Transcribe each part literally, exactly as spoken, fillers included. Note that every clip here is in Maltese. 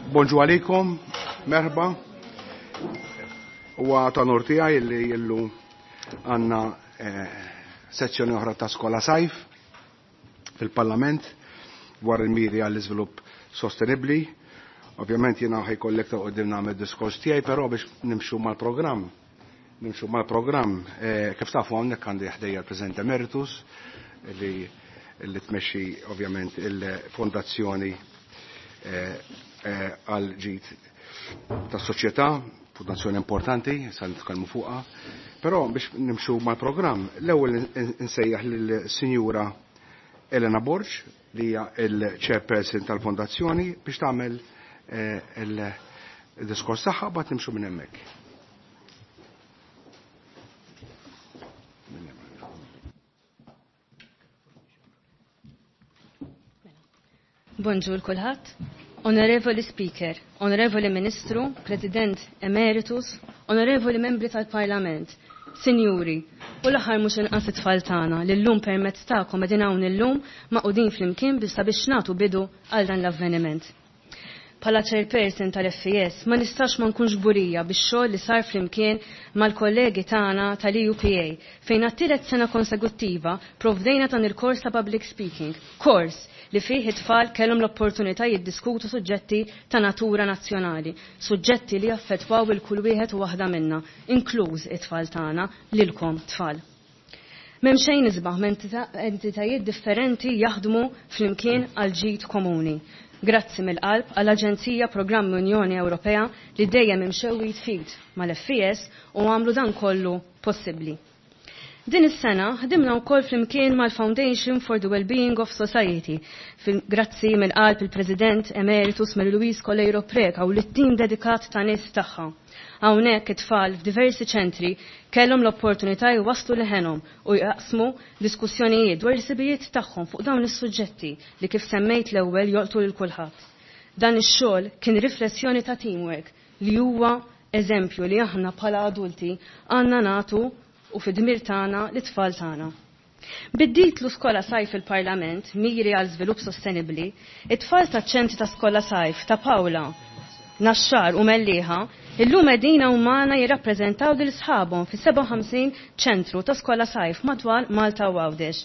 Bonġu għalikom, merħba. Huwa ta' unur tiegħi li illum għandna eh, sezzjoni oħra ta' skola sajf fil-Parlament dwar il-miri għall-iżvilupp sostenibbli. Ovvjament jiena ħa jkollek ta' qudiem nagħmel diskors tiegħi, però biex nimxu mal-programm, nimxu mal-programm, eh, kif tafu hawnhekk għandi ħdejja l-President Emeritus li li tmexxi ovvjament il-fondazzjoni eh, eh, għal ġid tas soċjetà, fondazzjoni importanti, sa nitkellmu fuqha. Però biex nimxu mal-programm, l-ewwel insejjaħ lill-Sinjura Elena Borg li hija il-chairperson tal-fondazzjoni biex tagħmel eh, il-diskors tagħha mbagħad nimxu minn hemmhekk. Bonġur kulħadd. Onorevoli Speaker, Onorevoli Ministru, President Emeritus, Onorevoli Membri tal-Parlament, Sinjuri, u l-aħħar mhux inqas it-tfal tagħna li llum permezz tagħkom qegħdin hawn illum magħqudin flimkien biex sabiex nagħtu bidu għal dan l-avveniment. Bħala chairperson tal-F E S ma nistax ma nkunx kburija bix-xogħol li sar flimkien mal-kollegi tagħna tal-E U P A fejn għat-tielet sena konsekuttiva provdejna dan il-kors ta' public speaking, kors li fih it-tfal kellhom l-opportunità jiddiskutu suġġetti ta' natura nazzjonali, suġġetti li jaffettwaw il kull wieħed u waħda minna, inkluż it-tfal tagħna lilkom tfal. M'hemm xejn isbaħ entitajiet differenti jaħdmu flimkien għal ġid komuni. Grazzi mill-qalb għall-Aġenzija Programmi Unjoni Ewropea li dejjem imxew id f'id mal-F E S u għamlu dan kollu possibbli. Din is-sena ħdimna wkoll flimkien mal-Foundation for the Wellbeing of Society. Grazzi mill-qalb il-President Emeritus Mary Louise Coleiro Preca u lit-tim dedikat ta' nies tagħha. Hawnhekk it-tfal f'diversi ċentri kellhom l-opportunità jwasslu leħenhom u jaqsmu diskussjonijiet dwar il-ħsibijiet tagħhom fuq dawn is-suġġetti li kif semmejt l-ewwel jolqtu lil kulħadd. Dan ix-xogħol kien riflessjoni ta' teamwork li huwa eżempju li aħna bħala adulti għandna nagħtu u fid-dmir tagħna lit-tfal tagħna. Bid-titlu Skola Sajf il-Parlament, miri għal żvilupp sostenibbli, it-tfal taċ-ċentri ta' Skola Sajf ta' Paola, Naxxar u Mellieħa, illum qegħdin magħna jirrappreżentaw lil sħabhom fi sebgħa u ħamsin ċentru ta' Skola Sajf madwar Malta u Għawdex.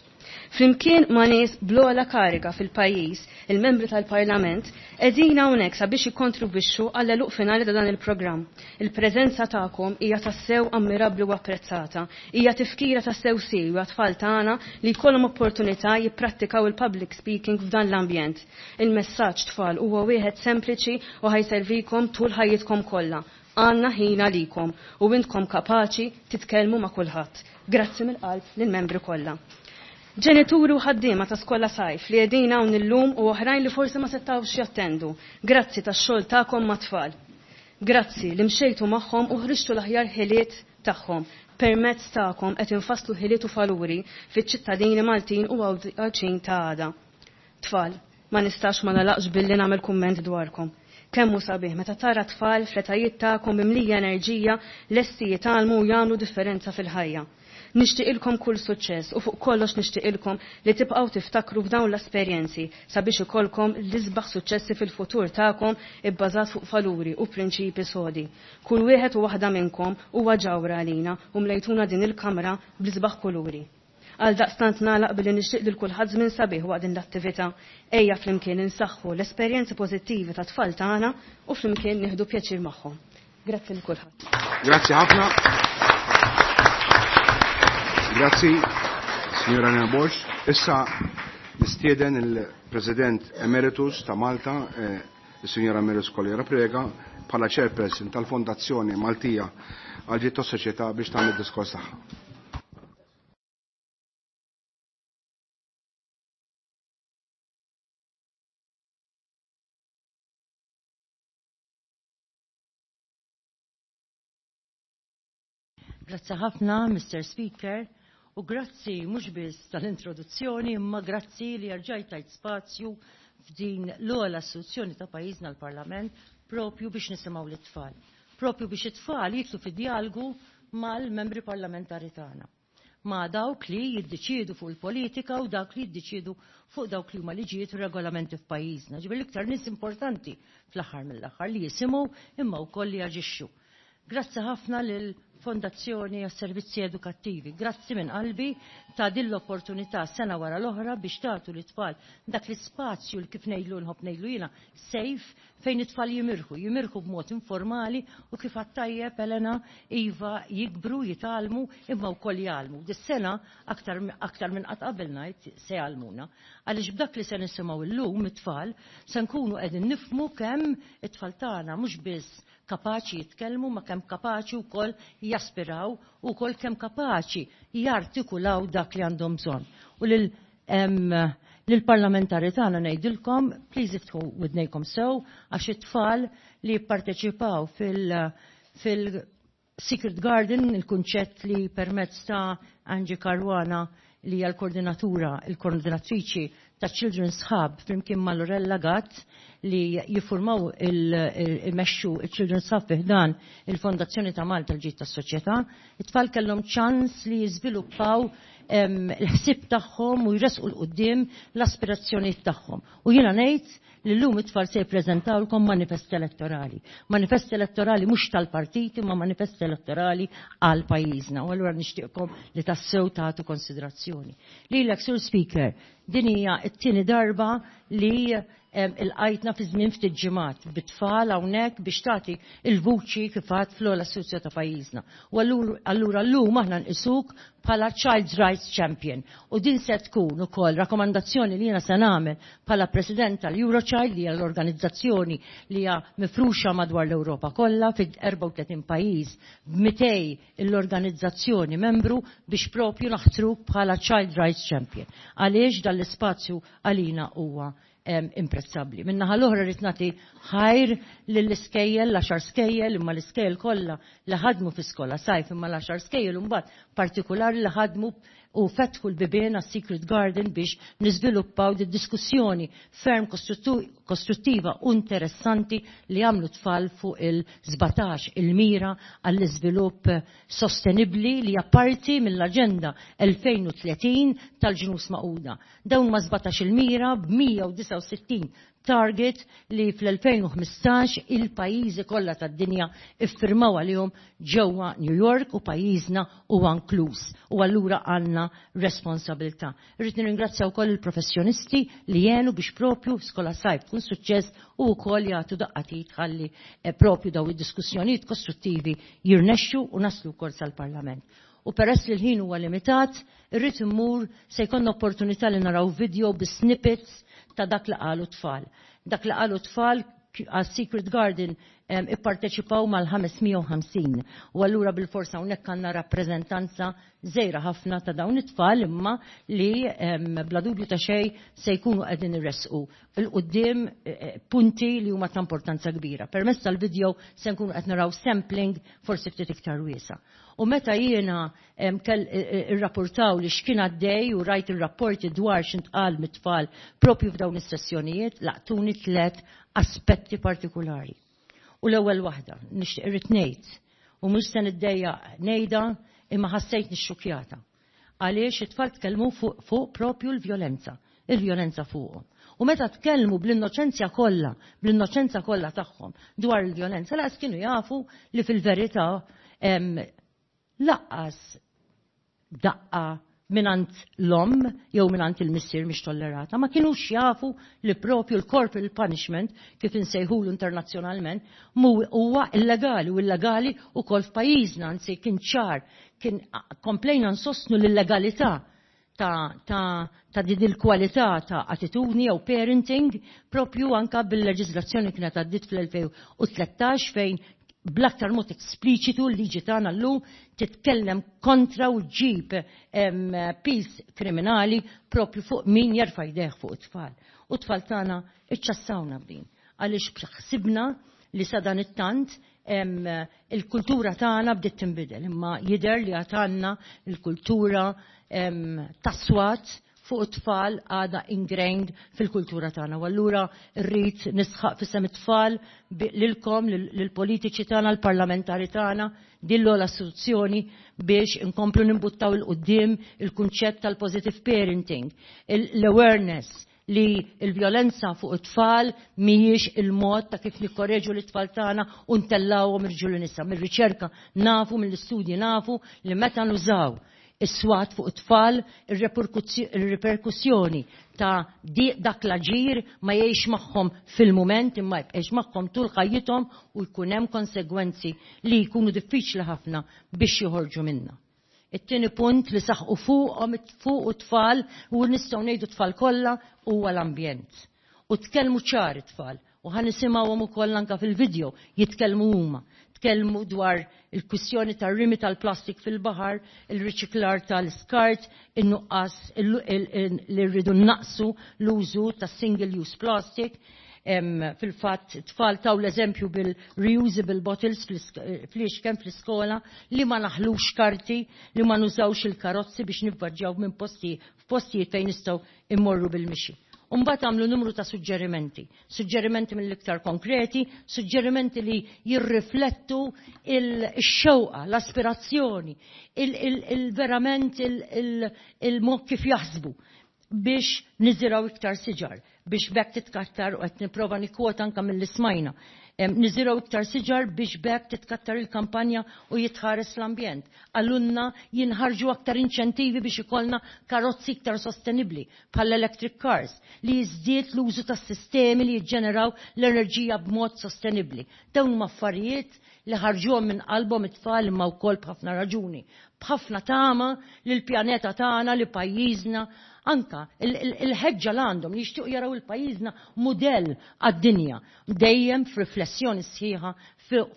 Flimkien ma' nies bl-ogħla kariga fil-pajjiż, il-membri tal-Parlament, qegħdin hawnhekk sabiex jikkontribwixxu għall finali ta' dan il-programm. Il-preżenza tagħkom hija tassew ammirabbli u apprezzata. Hija tifkira tassew siewi għat-tfal tagħna li jkollhom opportunità jipprattikaw il-public speaking f'dan l-ambjent. Il-messaġġ, tfal, huwa wieħed sempliċi u ħa jservikom tul ħajjitkom kollha. Għandna ħin għalikom u intkom kapaċi titkellmu ma' kulħadd. Grazzi mill-qalb lill-membri kollha. Ġenituri u ħaddiema ta' Skola Sajf li qegħdin hawn illum u oħrajn li forsi ma setgħux jattendu. Grazzi tax-xogħol tagħkom mat-tfal. Grazzi li mxejtu magħhom u ħriġtu l-aħjar ħiliet tagħhom. Permezz tagħkom qed infasslu ħiliet u valuri fiċ-ċittadini Maltin u Għawdxin ta' għada. Tfal, ma nistax ma nagħlaqx billi nagħmel kumment dwarkom. Kemm hu sabiħ meta tara tfal fl-etajiet tagħkom mimlija enerġija lesti jitgħallmu u jagħmlu differenza fil-ħajja. Nixtieqilkom kull suċċess u fuq kollox nixtieqilkom li tibqgħu tiftakru f'dawn l-esperjenzi sabiex ikollkom l-isbaħ suċċessi fil-futur tagħkom ibbażat fuq valuri u prinċipi sodi. Kull wieħed u waħda minnkom huwa ġawhra għalina u mlejtuna din il-kamra bl-isbaħ kuluri. Għal daqstant nagħlaq billi nixtieq lil kulħadd żmien sabiħ waqt din l-attività. Ejja flimkien insaħħu l-esperjenzi pożittivi ta' tfal tagħna u flimkien nieħdu pjaċir magħhom. Grazzi lil kulħadd. Grazzi ħafna. Grazzi, signora Nina Borg. Issa nistieden il-President Emeritus ta' Malta, eh, il-Signora Emeritus Coleiro Preca, bħala chairperson tal-Fondazzjoni Maltija għal ġid tas-soċjetà biex tagħmel diskors tagħha. Grazzi ħafna, Mister Speaker, u grazzi mhux biss tal-introduzzjoni, imma grazzi li rġajt tajt spazju f'din l-ogħla istituzzjoni ta' pajjiżna, l-Parlament, propju biex nisimgħu l-tfal. Propju biex it-tfal jidħlu fi djalogu mal-membri parlamentari tagħna. ma' dawk li jiddeċiedu fuq il-politika u dawk li jiddeċiedu fuq dawk li huma liġijiet u regolamenti f'pajjiżna. Ġifieri l-iktar nies importanti fl-aħħar mill-aħħar li jisimgħu imma wkoll li jaġixxu. Grazzi ħafna lil Fondazzjoni għas-Servizzi Edukattivi. Grazzi minn qalbi ta' din l-opportunità sena wara l-oħra biex tagħtu lit-tfal dak l-ispazju li kif ngħidlu nħobb ngħidlu jiena safe fejn it-tfal jimirħu, jimirħu b'mod informali u kif għat-tajjeb Elena iva jikbru, jitgħallmu imma wkoll jgħallmu. Dis-sena aktar, aktar minn qatt qabel ngħid se jgħallmuna. Għaliex b'dak li se nisimgħu llum it-tfal se nkunu qegħdin nifhmu kemm it-tfal tagħna mhux biss kapaċi jitkellmu ma kemm kapaċi wkoll jaspiraw u wkoll kemm kapaċi jartikulaw dak li għandhom bżonn. U lil lill-parlamentari tagħna ngħidilkom, please iftħu widnejkom sew għax it-tfal li jipparteċipaw fil- fil Secret Garden, il-kunċett li permezz ta' Angie Caruana li hija l-koordinatura, il-koordinatriċi ta' Children's Hub flimkien ma' Lorella Gatt li jiffurmaw il-mexxu il-Children's Hub fi ħdan il-Fondazzjoni ta' Malta l-ġid tas-soċjetà. It-tfal kellhom ċans li jiżviluppaw il-ħsieb tagħhom u jresqu 'l quddiem l-aspirazzjonijiet tagħhom. U jiena ngħid li llum it-tfal se jippreżentawlkom manifest elettorali. Manifest elettorali mhux tal-partiti, ma manifest elettorali għal pajjiżna. U allura nixtieqkom li tassew tagħtu konsiderazzjoni. Lilek, Sur Speaker, din hija t-tieni darba li ilqajtna fi żmien ftit ġimgħat bit-tfal hawnhekk biex tagħti il-vuċi kif għad fl-ogħla istituzzjoni ta' pajjiżna. U allura llum aħna nqisuk bħala Child Rights Champion. U din se tkun ukoll rakkomandazzjoni li jiena se nagħmel bħala President tal-Eurochild li hija l-organizzazzjoni li hija mifruxa madwar l-Ewropa kollha fi erbgħa u tletin pajjiż b'mitej l-organizzazzjoni membru biex propju naħtruk bħala Child Rights Champion. Għaliex dan l-ispazju għalina huwa imprezzabbli. Min-naħa l-oħra rrid nagħti ħajr lill-iskejjel, l-għaxar skejjel, imma l-iskejjel kollha li ħadmu fi skola sajf, imma l-għaxar skejjel imbagħad partikolari li ħadmu u fetħu l-bibien għas Secret Garden biex niżviluppaw di diskussjoni ferm kostruttiva u interessanti li għamlu tfal fuq il-sbatax il-mira għall-iżvilupp sostenibli li hija parti mill-Aġenda elfejn u tletin tal-Ġnus Magħquda. Dawn ma sbatax il-mira b'mija u disgħa u sittin target li fl-elfejn u ħmistax il-pajjiżi kollha tad-dinja iffirmaw għalihom ġewwa New York u pajjiżna huwa inkluż. U allura għandna responsabilità. Irrid nirringrazzja wkoll il-professjonisti li jenu biex propju skola sajf tkun suċċess u wkoll jagħtu daqqatit ħalli, eh, propju daw id-diskussjonijiet kostruttivi jirnexxu u naslu wkoll sal-Parlament. U peress li l-ħin huwa limitat, irrid immur se jkollna opportunità li naraw video bi snippets ta' dak li qalu tfal. Dak li qalu tfal għas Secret Garden, em, ipparteċipaw mal-ħames mija u ħamsin. U allura bil-forsa hawnhekk għandna rappreżentanza żgħira ħafna ta' dawn it-tfal imma li, em, bla dubju ta' xejn se jkunu qegħdin irresqu il quddiem, eh, eh, punti li huma ta' importanza kbira. Permezz tal-video se nkunu qed naraw sampling forsi ftit iktar wiesa'. U meta jiena, em, kell, eh, eh, irrapportaw li x'kien għaddej u rajt ir-rapporti dwar x'intqal mit-tfal propju f'dawn is-sessjonijiet, laqtuni tliet aspetti partikolari. U l-ewwel waħda, nixtieq irrid ngħid, u mhux se niddejjaq ngħidha imma ħassejt nixxukjata. Għaliex it-tfal tkellmu fuq, fuq propju l-vjolenza, il-vjolenza fuqhom. U meta tkellmu bl-innoċenzja kollha, bl-innoċenza kollha tagħhom dwar il-vjolenza, laqas kienu jafu li fil-verità, em, laqqas daqqa minant l-omm jew minant il-missier mhix tollerata, ma kinux jafu li propju l-corporal punishment kif insejħulu internazzjonalment mu huwa illegali u illegali wkoll f'pajjiżna, anzi kien ċar, kien komplejna nsostnu l-illegalità ta', ta', ta' din il-kwalità ta' attitudni jew parenting propju anka bil-leġiżlazzjoni kienet għaddiet fl-elfejn u tlettax fejn bl-aktar mod espliċitu l-liġi tagħna llum titkellem kontra u ġib, em, pis kriminali propju fuq min jerfa' jdejh fuq it-tfal. U t-tfal tagħna iċċassawna b'din għaliex ħsibna li sa dan it-tant, em, il-kultura tagħna bdiet tinbidel, imma jidher li għad għandna il-kultura, em, tas-swat fuq it-tfal għadha ingrained fil-kultura tagħna. U allura rrid nisħaq f'isem it-tfal lilkom, lill-politiċi tagħna, l-parlamentari tagħna, din l istituzzjoni biex inkomplu nimbuttaw 'il quddiem il-kunċett tal-positive parenting, l-awareness li l-vjolenza fuq it-tfal mhijiex il-mod ta' kif nikkorreġu l-tfal tagħna u ntellawhom irġiel u nisa. Mir-riċerka nafu, mill-istudji nafu li meta nużaw is-swat fuq it-tfal, ir-riperkussjoni ta' dak l-aġir ma jgħix magħhom fil-mument imma jibqgħix magħhom tul ħajjithom u jkun hemm konsegwenzi li jkunu diffiċli ħafna biex joħorġu minna. It-tieni punt li saħqu fuqhom fuq it-tfal u nistgħu ngħidu tfal kollha huwa l-ambjent. U tkellmu ċar it-tfal u ħa nisimgħuhom ukoll anke fil-video jitkellmu huma. Tkellmu dwar il-kwistjoni tar-rimi tal-plastik fil-baħar, il-riċiklar tal-iskart, in-nuqqas li rridu naqsu l-użu tas-single use plastic. Fil-fatt tfal taw l-eżempju bil-reusable bottles fl-ixken fl-iskola li ma naħlux karti, li ma nużawx il-karozzi biex nivvaġġaw minn posti f'postijiet fejn nistgħu immorru bil-mixi. Umbagħad għamlu numru ta' suġġerimenti, suġġerimenti mill-iktar konkreti, suġġerimenti li jirriflettu il-xewqa, l-aspirazzjoni, il-verament il-mod kif jaħsbu biex niżiraw iktar siġar, biex bekk titkattar, u qed nipprova nikkwota anke mill-ismajna, niżiraw iktar siġar biex bekk titkattar il-kampanja u jitħares l-ambjent. Għallunna jinħarġu aktar inċentivi biex ikollna karozzi iktar sostenibli bħal electric cars, li jiżdied l-użu tas sistemi li jiġġeneraw l-enerġija b'mod sostenibli. Dawn huma affarijiet li ħarġuhom minn qalbhom it-tfal imma wkoll b'ħafna raġuni, b'ħafna tama li l-pjaneta tagħna, li pajjiżna, anka il-ħeġġa l għandhom li jixtiequ jaraw il-pajjiżna mudell għad-dinja, dejjem f'riflessjoni sħiħa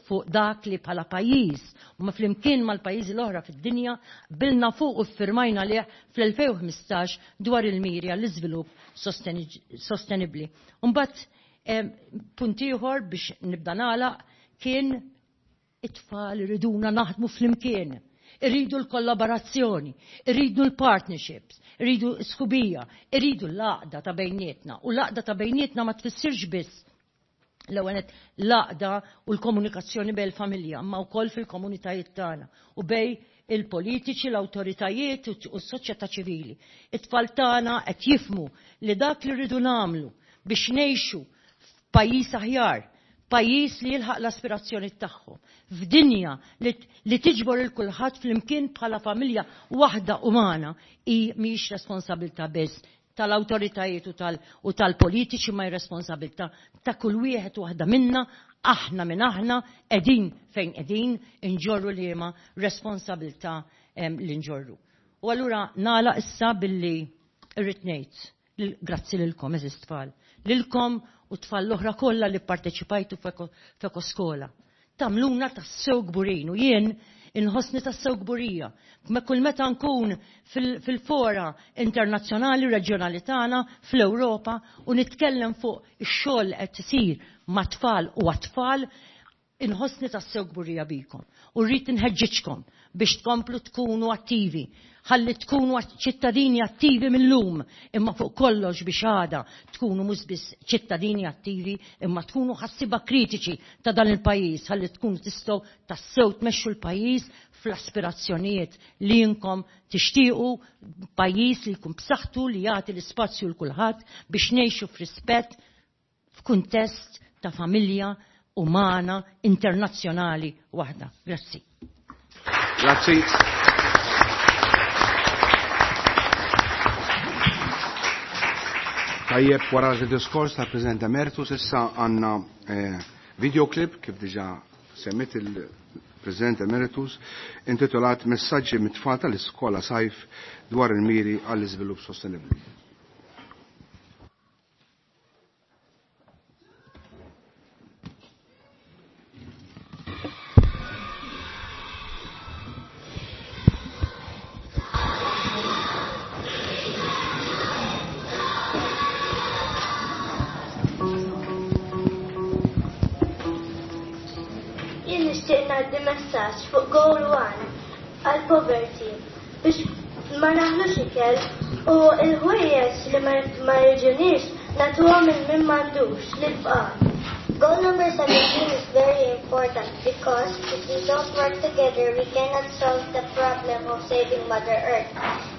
fuq dak li bħala pajjiż u ma flimkien mal-pajjiżi l-oħra fid-dinja bilna fuq u ffirmajna lih fl-elfejn u ħmistax dwar il-miri għall-iżvilupp sostenibbli. Mbagħad punt ieħor biex nibda nagħlaq kien it-tfal iriduna naħdmu flimkien. Irridu l-kollaborazzjoni, irridu l-partnerships, irridu sħubija, irridu l-għaqda ta' bejnietna. U l-għaqda ta' bejnietna ma tfissirx biss l-ewwel nett l-għaqda u l-komunikazzjoni bejn il-familja, ma wkoll fil-komunitajiet tagħna u bejn il-politiċi, l-awtoritajiet u s-soċjetà ċivili. It-tfal tagħna qed jifhmu li dak li rridu nagħmlu biex ngħixu f'pajjiż aħjar, pajjiż li jilħaq l-aspirazzjoni tagħhom, f'dinja li tiġbor il kulħadd flimkien bħala familja waħda umana, hi mhix responsabilità biss tal-awtoritajiet u tal-politiċi, ma hi responsabilità ta' kull wieħed u waħda minna, aħna minn aħna qegħdin fejn qegħdin inġorru liema responsabilità li nġorru. U allura nagħlaq issa billi irrid ngħid grazzi lilkom eżis tfal, lilkom u tfal l-oħra kollha li pparteċipajtu f'Ekoskola. Tagħmluna tassew kburin u jien inħossni tassew kburija. Ma kull meta nkun fil-fora internazzjonali reġjonali tagħna fl-Ewropa u nitkellem fuq ix-xogħol qed isir ma' tfal u għat-tfal, inħossni tassew kburija bikom. U rrid inħeġġiġkom biex tkomplu tkunu attivi, ħalli tkunu ċittadini attivi mill-lum, imma fuq kollox biex għada tkunu mhux biss ċittadini attivi, imma tkunu ħassiba kritiċi ta' dan il-pajjiż, ħalli tkunu tistgħu tassew tmexxu l-pajjiż fl-aspirazzjonijiet li inkom tixtiequ, pajjiż li jkun b'saħħtu, li jagħti l-ispazju l kulħadd biex ngħixu f'rispett f'kuntest ta' familja umana internazzjonali waħda. Grazzi. Grazzi. Tajjeb, wara l-diskors ta' President Emeritus, issa għandna eh, videoclip kif diġà semmit il-President Emeritus, intitolat Messaġġi mit-tfal tal-iskola sajf dwar il-miri għall-iżvilupp sostenibbli. Messaġġ fuq Goal One għal poverty biex Ma naħlux ikel u l-ħwejjeġ li ma jiġuniex nagħtuhom lil min m'għandux lill-fqar. Goal number seventeen is very important because if we don't work together, we cannot solve the problem of saving Mother Earth.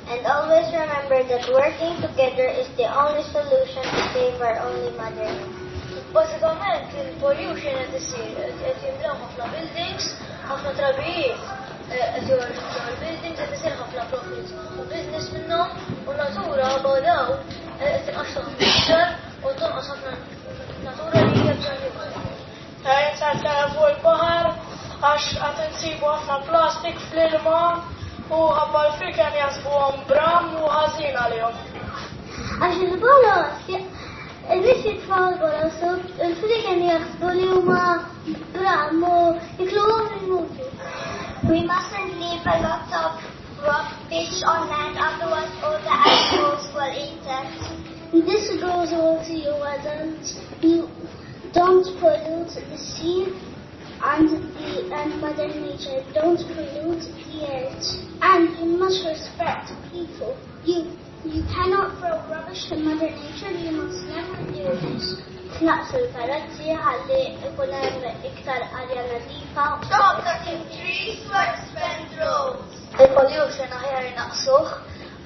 And always remember that working together is the only solution to save our only Mother Earth. Bażikament il-pollution qed isir, qed jimlew ħafna buildings, ħafna trabijiet, qed joħorġu ġol buildings, qed isir ħafna profit u business minnhom u natura badaw qed tinqaxxa ħafna iktar u tonqos ħafna natura li hija bżonn. Qed fuq il-baħar għax qed insibu ħafna plastik fl-ilma u ħabba l-friken jaħsbuhom bram u ħażin għalihom. Għax il-bolos, il-nies jitfgħu l-bolos u l-friken jaħsbu li huma bram u jikluhom imutu. We mustn't leave a lot of rubbish on land, otherwise all the animals will eat it. This goes all to you adults. You don't pollute the sea and the and Mother Nature. Don't pollute the earth. And you must respect people. You you cannot throw rubbish to Mother Nature. You must never do this. Naqsu l-karozzi ħalli ikun hemm iktar arja nadifa. Stop cutting trees to expand roads. Il-pollution aħjar naqsuh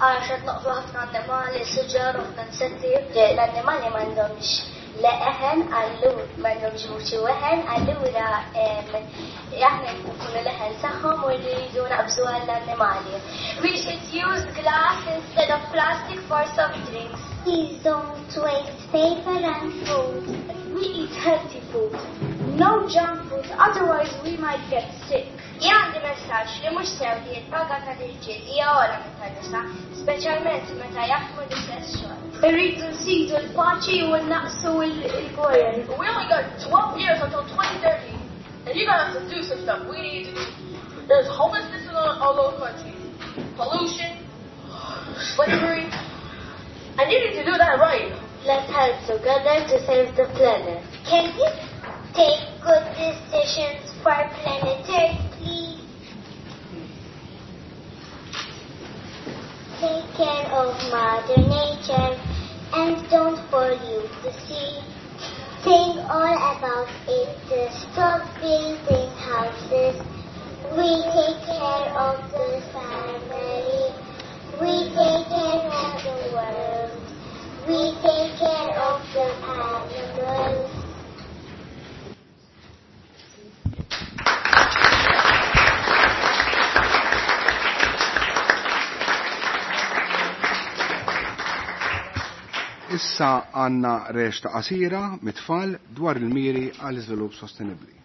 għax qed noqtlu ħafna annimali, siġar u ħafna insetti. L-annimali m'għandhomx leħen allura m'għandhomx vuċi weħen allura aħna nkunu leħen tagħhom u rridu naqbżu għall-annimali. We should use glass instead of plastic for soft drinks. Please don't waste paper and food. We eat healthy food. No junk food, otherwise we might get sick. Jien għandi messaġġ li mhux sew li l-paga tal-irġiel hija ogħla minn tan-nisa, speċjalment meta jaħdmu l-istess xogħol. Irridu nsidu l-paċi u naqsu l-gwerer. We only got twelve years until twenty thirty, and you're gonna have to do some stuff. We need to do. There's homelessness in all, all over the country, pollution, slavery, and you need to do that right. Let's help together to save the planet. Can you take good decisions for planet Earth, please? Take care of Mother Nature and don't pollute the sea. Think all about it. Stop building houses. We take care of the family. We take care of the world. We take care of the animals. Issa għanna reċta qasira mit-tfal dwar il-miri għal iżvilupp sostenibbli.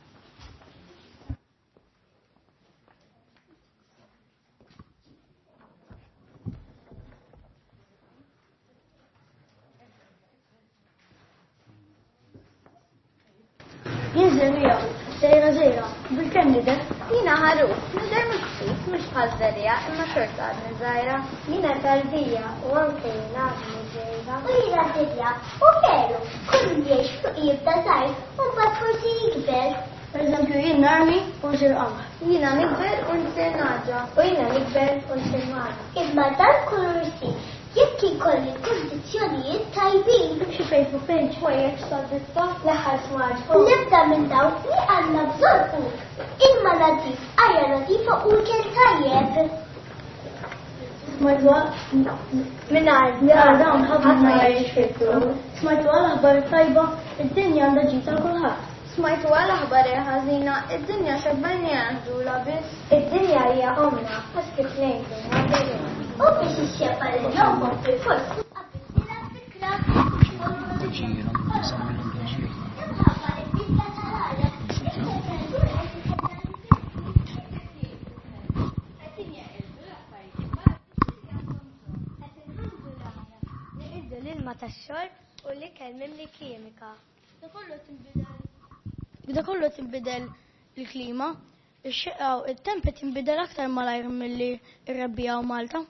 Jien żerriegħa, żgħira żgħira, bil-kemm nidher? Jiena ħaruf, nidher miksuf mhux bħal żerriegħa imma xorta għadni żgħira. Jiena tarbija u anke jien għadni żgħira. U jiena tibja, u veru, kull min jgħix fuq jibda żgħir u mbagħad forsi jikber. Pereżempju jien narmi u nsir qamar. Jiena nikber u nsir naġa. U jiena nikber u nsir mara. Imma dan kollu jsir jekk ikolli kundizzjonijiet tajbin. Xi Facebook page ħwejjeġ tad-ditta l-aħħar smartphone. Nibda minn dawn li għandna bżonn hu ilma nadif, arja nadifa u ikel tajjeb. Smajtu mingħajr ja dawn ħafna jgħix fil-flus. Smajtu għal aħbar tajba, id-dinja għandha ġid għal kulħadd. Smajtu għal aħbar ħażina, id-dinja xebbenni għandula biss. Id-dinja hija omna, għax kif ngħidu ma U biex ixxebba lil jombok fil-fors qabel tilgħab fil-klabb. Imħabba li l-bidla tal-arja, it-temperatura qed inħalldu l-arja, neqirdu l-ilma tax-xorb u l-ikel mimli kimika. Da kollu tinbidel il-klima, ix-xeqqa u t-temp qed jinbidel aktar malajr milli r-rebbiegħa u Malta.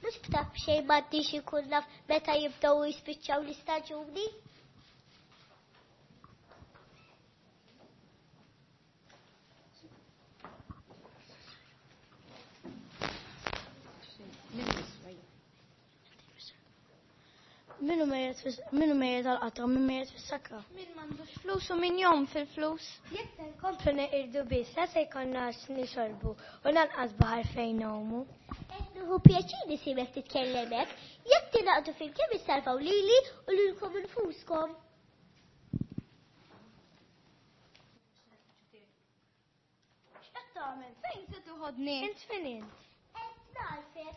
Mhux b'taf xejn m'għandix ikun naf meta jibdew jispiċċaw l-istaġuni. Min hu mejjet għall-qatra, min mejjet fis-sakra. Min m'għandux flus u min jgħum fil-flus. Jekk se nkomplu neqirdu biss, la se jkollna x'nixorbu u lanqas baħar fejn ngħumu. Qed nieħu pjaċir nisimek titkellem hekk, jekk tingħaqdu flimkien issalvaw lili u lilkom infuskom. X'qed tagħmel? Fejn se toħodni? Int fejn int? Qed nagħrfek.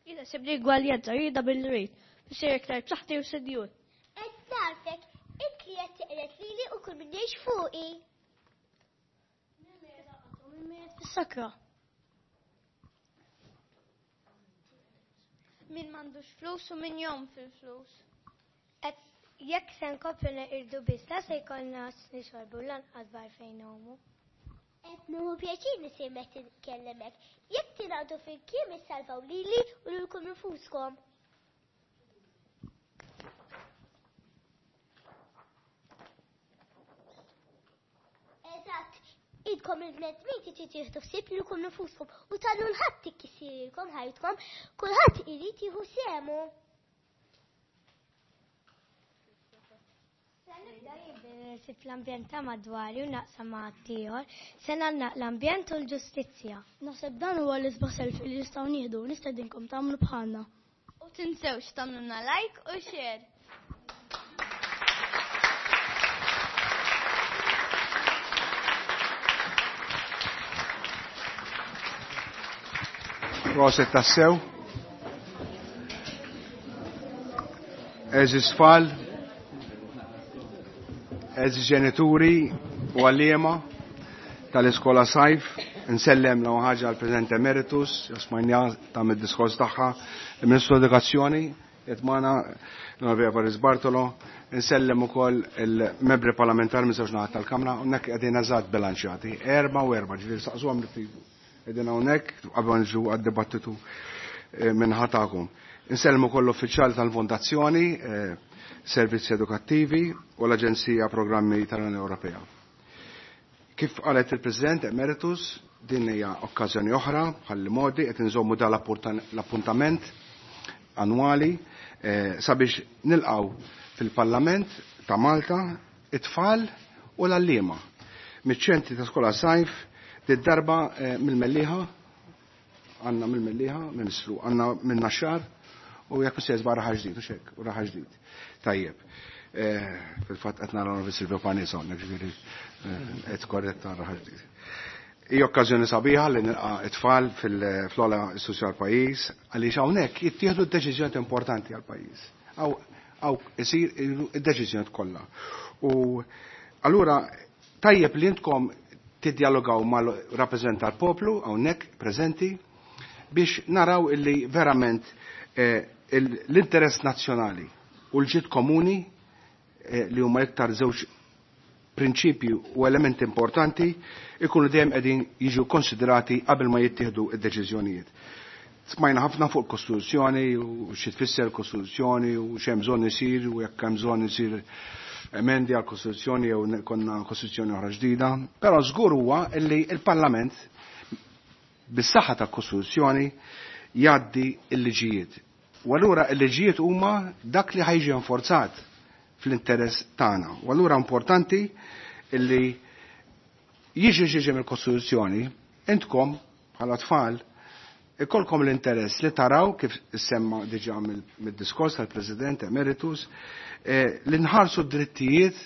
Jiena sibni gwaljanza, jiena bil-rejt, biex iktar b'saħħti u senjur. Qed nagħrfek, int li qed tiqret lili u kull min jgħix fuqi. Min mejjet fis-sakra. Min m'għandux flus u min jgħum fil-flus. Jekk se nkomplu neqirdu biss, la se jkollna x'nixorbu u lanqas baħar fejn ngħumu. Qed nieħu pjaċir nisimek titkellem hekk, jekk tingħaqdu flimkien issalvaw lili u lilkom infuskom. Eżatt, idkom il-bnedmin trid tieħdu ħsieb lilkom infuskom u tagħlu l-ħadd tikkissirkom ħajtkom, kulħadd irid jieħu sehmu. Sib l-ambjent ta' madwari u naqsam ma' ħaddieħor, se nagħlaq l-ambjent u l-ġustizzja. Naħseb dan huwa l-isbaħ selfie li nistgħu nieħdu, nistedinkom tagħmlu bħalna. U tinsewx tagħmlulna like u share. Proset tassew. Eżis tfal, eżis ġenituri u għalliema tal-iskola sajf, nsellem l ħaġa għal-President Emeritus, smajnja ta' mid-diskors tagħha, il-Ministru Edukazzjoni, qed magħna l-Onorevoli Evarist Bartolo, nsellem ukoll il-membri parlamentari minn żewġ naħat tal-Kamra, hawnhekk qegħdin eżatt bilanċjati, erba' u erba', ġifieri saqsuhom li tridu. Qegħdin hawnhekk qabel nġu għad-dibattitu minn ħatakom. Insellmu ukoll l-uffiċjali tal-Fondazzjoni, Servizzi Edukattivi u l-Aġenzija Programmi tal-Unjoni Ewropea. Kif qalet il-President Emeritus, din hija okkażjoni oħra bħal modi qed inżommu dan l-appuntament annwali sabiex nilqgħu fil-Parlament ta' Malta it-tfal u l-għalliema miċ-ċentri ta' skola sajf did-darba mill-Mellieħa, għandna mill-Mellieħa, Ministru, għandna minn Naxxar u jekk se jeżba raħa ġdid u xek, u raħa ġdid. Tajjeb. Fil-fatt qed nara Onorevoli Silvio Parnis hawnhekk, ġifieri qed korretta raħa ġdid. Hija okkażjoni sabiħa li nilqa' it-tfal fl-ogħla istituzzjoni għall-pajjiż għaliex hawnhekk jittieħdu deċiżjonijiet importanti għall-pajjiż. Hawn isir id-deċiżjonijiet kollha. U allura tajjeb li intkom tiddialogaw mal-rappreżentant tal-poplu hawnhekk preżenti biex naraw illi verament l-interess nazzjonali u l-ġid komuni li huma iktar żewġ prinċipji u elementi importanti ikunu dejjem qegħdin jiġu konsiderati qabel ma jittieħdu d-deċiżjonijiet. Smajna ħafna fuq il-Kostituzzjoni u xi tfisser il-Kostituzzjoni u x'hemm bżonn isir u jekk hemm bżonn isir emendi għall-Kostituzzjoni jew konna Kostituzzjoni oħra ġdida, però żgur huwa li l-Parlament bis-saħħa tal-Kostituzzjoni jgħaddi l-liġijiet. U allura l-liġijiet huma dak li ħajġi enforzat fl-interess tagħna. U allura importanti li jiġi ġiġi mill-Kostituzzjoni, intkom bħala tfal ikolkom l-interess li taraw kif semma diġà mid-diskors tal-President Emeritus, li nħarsu d-drittijiet,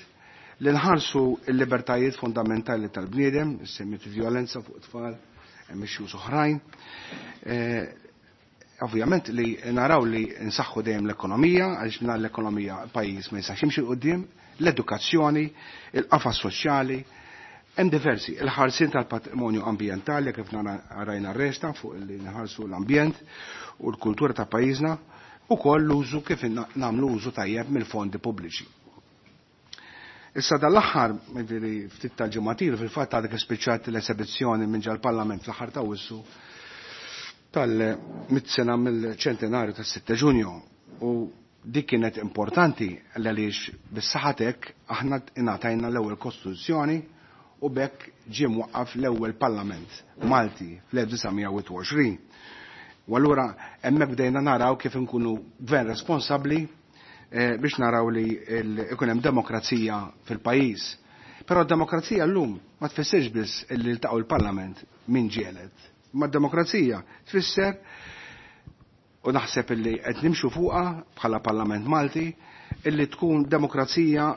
li nħarsu l-libertajiet fundamentali tal-bniedem, semmiet violenza fuq tfal, hemm issues oħrajn. Ovvjament li naraw li nsaħħu dejjem l-ekonomija, għaliex mingħajr l-ekonomija pajjiż ma jistax jimxi 'l quddiem, l-edukazzjoni, il-qafas soċjali, hemm diversi, il-ħarsien tal-patrimonju ambjentali kif rajna r-resta fuq li nħarsu l-ambjent u l-kultura ta' pajjiżna, ukoll l-użu kif nagħmlu użu tajjeb mill-fondi pubbliċi. Issa dal-aħħar, jiġifieri ftit tal-ġimgħatir, fil-fatt għadek ispiċċat l-esebizzjoni minn ġal-Parlament fl-aħħar ta' Awwissu tal-mitt sena mill-ċentenarju tas-sitta Ġunju, u dik kienet importanti għaliex bis-saħatek aħna ingħatajna l-ewwel Kostituzzjoni u bekk ġie mwaqqaf l-ewwel Parlament Malti fl-elf disa' mija u wieħed u għoxrin. U allura hemmhekk bdejna naraw kif inkunu gvern responsabbli biex naraw li ikun hemm demokrazija fil-pajjiż. Però d-demokrazija llum ma tfissirx biss illi ltaqgħu l-Parlament min ġielet. Ma d-demokrazija tfisser, u naħseb illi qed nimxu fuqha bħala Parlament Malti, illi tkun demokrazija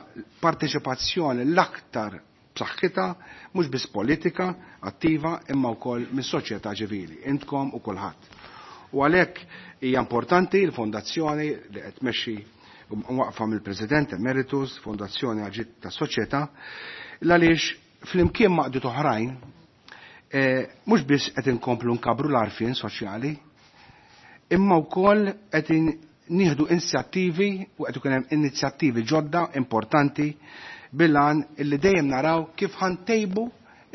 parteċipazzjoni l-aktar b'saħħitha, mhux biss politika attiva imma wkoll mis-soċjetà ċivili, intkom u kulħadd. U għalhekk hija importanti l-fondazzjoni li qed tmexxi waqfa mill-President Emeritus, Fondazzjoni Għal-Ġid tas-Soċjetà, għaliex flimkien maqdiet oħrajn mhux biss qed inkomplu nkabru l-għarfien soċjali, imma wkoll qed nieħdu inizjattivi u qed ikun hemm inizjattivi ġodda importanti bil-għan illi dejjem naraw kif ħantejbu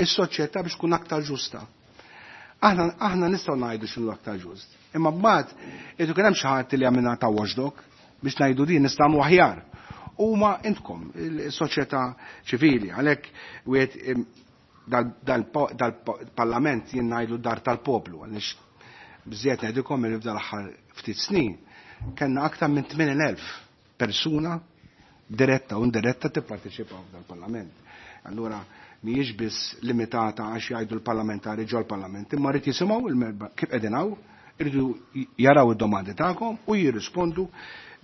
is-soċjetà biex tkun aktar ġusta. Aħna aħna nistgħu ngħidu x'inhu aktar ġust. Imma mbagħad irid ikun hemm xi ħadd li jagħmilna ta' watchdog biex ngħidu din nistgħu nagħmlu aħjar. Huma intkom il-soċjetà ċivili, għalhekk wieħed dal-parlament jien ngħidu dar tal-poplu, għaliex biżejjed ngħidilkom li f'dal aħħar ftit snin kellna aktar minn tmien elf persuna diretta u indiretta tipparteċipaw f'dal-parlament. Allura mhijiex biss limitata għax jgħidu l-parlamentari ġol parlament, imma rrid jisimgħu kif qegħdin hawn, iridu jaraw id-domandi tagħkom u jirrispondu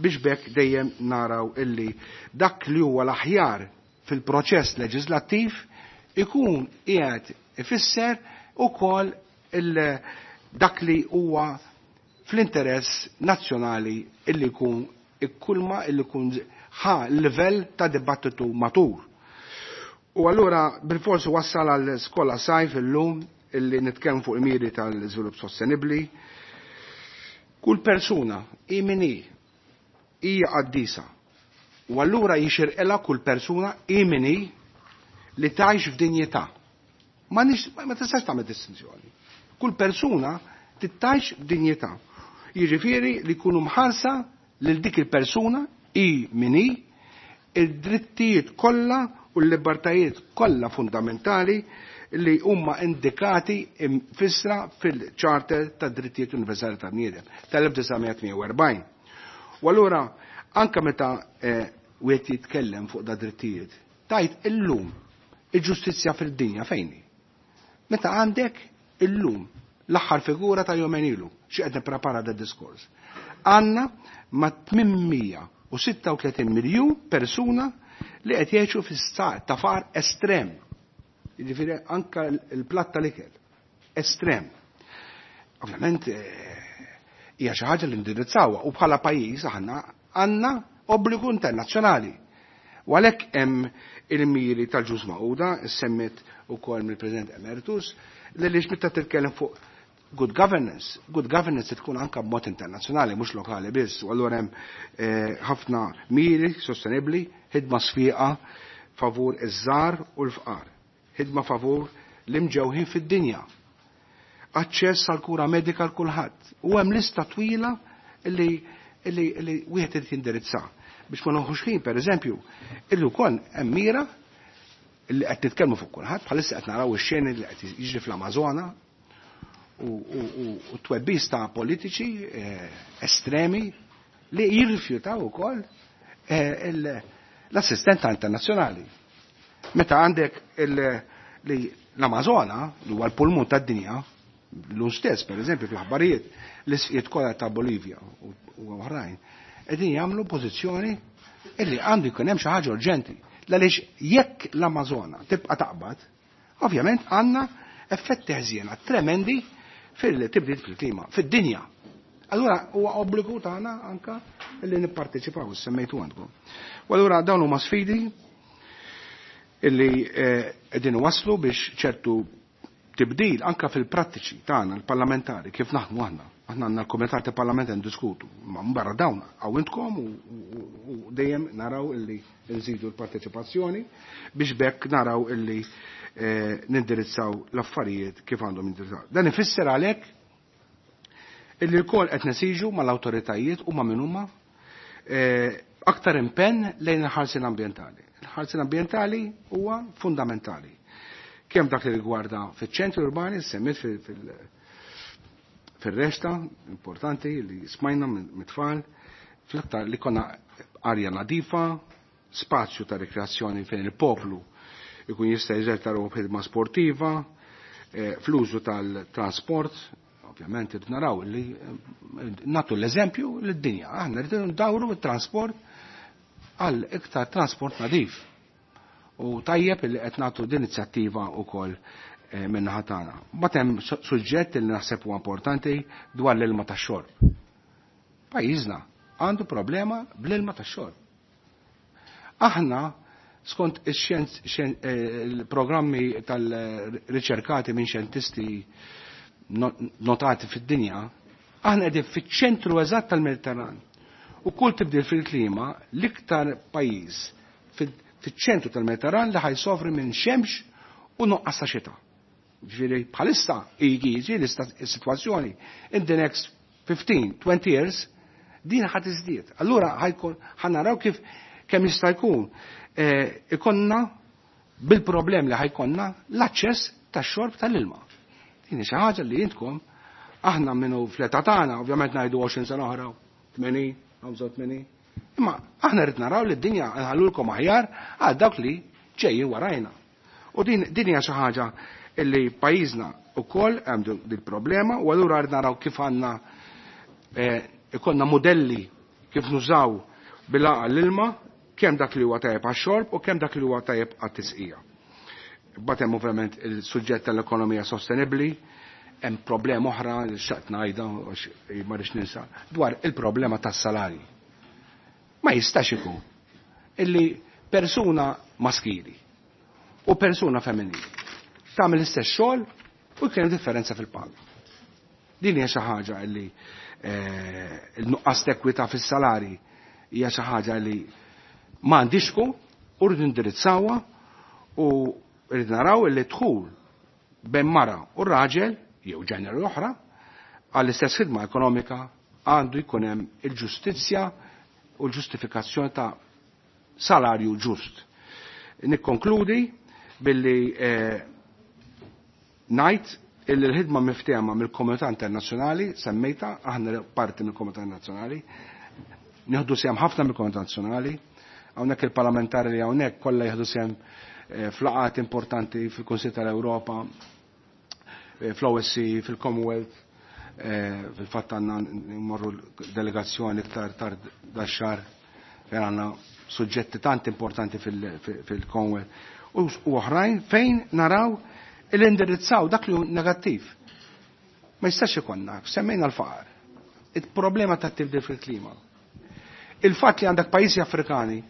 biex bekk dejjem naraw illi dak li huwa l-aħjar fil-proċess leġislattiv ikun qiegħed ifisser ukoll dak li huwa fl-interess nazzjonali illi jkun ikkulma illi jkun ħa livell ta' dibattitu matur. U allura bil-forsi wassal għal skola sajf illum illi nitkellem fuq il-miri tal-iżvilupp sostenibbli. Kull persuna hi min hi hija qaddisa. U allura jixirqilha kull persuna hi min hi li tgħix f'dinjità. Ma nix, ma tistax tagħmel distinzjoni. Kull persuna titgħix f'dinjità. Jiġifieri li jkunu mħarsa lil dik il-persuna hi min hi id-drittijiet kollha u l-libertajiet kollha fundamentali li huma indikati imfissra fil-Charter tad Drittijiet Universali tal-Bniedem tal-elf disa' mija tmien u erbgħin. U allura anke meta wieħed jitkellem fuq da drittijiet, tajt illum il-ġustizzja fid-dinja fejn hi? Meta għandek illum l-aħħar figura ta' jumejn ilu, xi qed nipprepara da diskors. Għandna ma' tmien mija u sitta u tletin miljun persuna li qed jgħixu fi stat ta' faqar estrem. Jiġifieri anke l-platt tal-ikel estrem. Ovvjament hija xi ħaġa li ndirizzawha u bħala pajjiż aħna għandna obbligu internazzjonali. U għalhekk hemm il-miri tal-Ġnus Magħquda, semmit ukoll mill-President Emeritus, li lix meta titkellem fuq good governance, good governance tkun anka b'mod internazzjonali, mhux lokali biss, u allura hemm ħafna miri sostenibbli, ħidma sfiqa favur iż-żgħar u l-fqar, ħidma favur l-imġewħin fid-dinja, aċċess għal kura medika għal kulħadd. U hemm lista twila li, li, li wieħed irid jindirizza. Biex ma noħux ħin, pereżempju, illi wkoll hemm mira li qed nitkellmu fuq kulħadd, bħalissa qed naraw ix-xeni li qed jiġri fl-Amażona u, u, u, u twebbis ta' politiċi, eh, estremi li jirrifjutaw ukoll, eh, l-assistenza internazzjonali. Meta għandek il-, li l-Amazona, li huwa l-pulmun tad-dinja, l stess, per eżempju, fl-aħbarijiet, l-isqiet kollha ta' Bolivja u, u oħrajn, qegħdin jagħmlu pożizzjoni illi għandu jkun hemm xi ħaġa urġenti. Għaliex jekk l-Amazona tibqa' taqbad, ovvjament għandna effetti ħżiena tremendi fil-tibdil fil-klima, fid-dinja. Allura huwa obbligu tagħna anka illi nipparteċipaw, semmejtu għandkom. U allura dawn huma sfidi illi, eh, qegħdin waslu biex ċertu tibdil anka fil-prattiċi tagħna l-parlamentari kif naħdmu aħna. Aħna għandna l-kumitat tal-Parlament ndiskutu, ma barra dawn hawn intkom u, u, u dejjem naraw illi nżidu l-parteċipazzjoni biex bekk naraw illi, eh, nindirizzaw l-affarijiet kif għandhom jindirizzaw. Dan ifisser għalhekk illi wkoll qed nesiġu mal-awtoritajiet u ma' min huma, eh, aktar impenn lejn il-ħarsien ambjentali. Il-ħarsien ambjentali huwa fundamentali. Kemm dak li rigwarda fiċ-ċentri urbani, semmit fil-, fil-, fir-resta, importanti li smajna mit-tfal, fl-aktar li konna arja nadifa, spazju ta' rekreazzjoni fejn il-poplu ikun jista' jeżerta ruħu b'ħidma sportiva, eh, fl-użu tal-trasport, ovvjament irid naraw li eh, nagħtu l-eżempju lid-dinja. Aħna rridu ndawru t-trasport għal iktar trasport nadif. U tajjeb li qed nagħtu din inizjattiva wkoll eh, min-naħa tagħna. Mbagħad hemm suġġett li naħseb huwa importanti dwar l-ilma tax-xorb. Pajjiżna għandu problema bl-ilma tax-xorb. Aħna skont il-programmi tal-riċerkati minn xjentisti notati fid-dinja, aħna qegħdin fiċ-ċentru eżatt tal-Mediterran. U kull tibdil fil-klima, l-iktar pajjiż fiċ-ċentru tal-Mediterran li ħajsofri minn xemx u nuqqas ta' xita. Ġifieri bħalissa jiġi l-sitwazzjoni in the next fifteen, twenty years din ħad iżdied. Allura ħajkun ħanaraw kif kemm jista' jkun ikonna bil-problem li ħajkonna l-aċċess tax-xorb tal-ilma. Din hi xi ħaġa li intkom aħna minnu fl-età tagħna, ovvjament ngħidu għoxrin sena oħra, tmenin, ħamsa u tmenin. Imma aħna rrid naraw li d-dinja nħallulkom aħjar għal dawk li ġejjin warajna. U din, din hija xi ħaġa li pajjiżna wkoll hemm din problema u allura rrid naraw kif għandna, eh, ikollna modelli kif nużaw bil-għaqal l-ilma, kemm dak li huwa tajjeb għax-xorb u kemm dak li huwa tajjeb għat-tisqija. Mbagħad hemm ovvjament il-suġġett tal-ekonomija sostenibbli, hemm problema oħra li xtaqt ngħidha għax ma rridx ninsa, dwar il-problema tas-salarji. Ma jistax ikun illi persuna maskili u persuna femminili tagħmel l-istess xogħol u jkun hemm differenza fil-paga. Din hija xi ħaġa illi, eh, il-nuqqas t'ekwità fis-salari hija xi ħaġa li ma għandix tkun, u rridu ndirizzawha u rridu naraw illi dħul bejn mara u raġel jew ġeneru oħra għall-istess ħidma ekonomika għandu jkun hemm il-ġustizzja u l-ġustifikazzjoni ta' salarju ġust. Nikkonkludi billi, eh, ngħid illi l-ħidma miftehma mill-komunità internazzjonali, semmejta, aħna parti mill-komunità internazzjonali, nieħdu sehem ħafna mill-komunità internazzjonali, hawnhekk il-parlamentari li hawnhekk kollha jieħdu sehem, eh, f'laqgħat importanti fil-Kunsill tal-Ewropa, eh, fl-O S C E, fil-Commonwealth, eh, fil-fatt għandna nmorru delegazzjoni iktar tard dax-xahar fejn għandna suġġetti tant importanti fil-, fil-, fil-Commonwealth u, u oħrajn fejn naraw il-indirizzaw dak li hu negattiv. Ma jistax ikonna, semmejna l-faqar, il-problema ta' tibdil fil-klima. Il-fatt li għandek pajjiżi Afrikani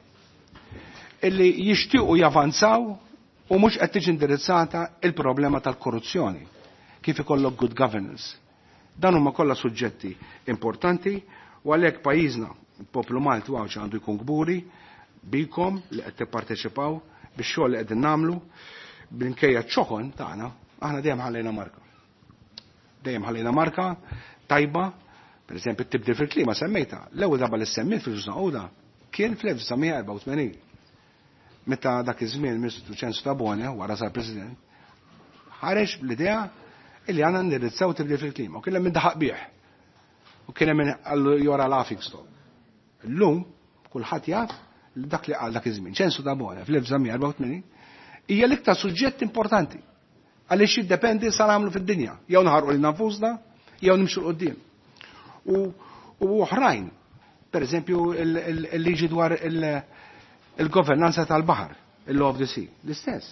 illi jixtiequ javanzaw u mhux qed tiġi indirizzata il-problema tal-korruzzjoni, kif ikollok good governance. Dan huma kollha suġġetti importanti u għalhekk pajjiżna, il-poplu Malti u Għawdxi għandu jkun kburi bikom li qed tipparteċipaw bix-xogħol li qegħdin nagħmlu, minkejja ċ-ċokon tagħna, aħna dejjem ħallejna marka. Dejjem ħallejna marka tajba, per eżempju t-tibdil fil-klima semmejta. L-ewwel darba li semmejt fil-Ġnus Magħquda kien fl-elf disa' mija erbgħa u tmenin. Meta dak iż-żmien Ministru Ċensu Tabone, wara sar President, ħareġ bl-idea illi għandna ndirizzaw tibdil fil-klima. U kien hemm min daħaq bih. U kien hemm min qallu jora laughing stock. Illum kulħadd jaf li dak li qal dak iż-żmien Ċensu Tabone fl-elf disa' mija erbgħa u tmenin hija l-iktar suġġett importanti għaliex jiddependi sa nagħmlu fid-dinja, jew naħarqu lil nafusna, jew nimxu 'l quddiem. U, u oħrajn, per eżempju il-, il-, il-liġi dwar il-, il-governanza tal-baħar, il-law of the sea, l-istess.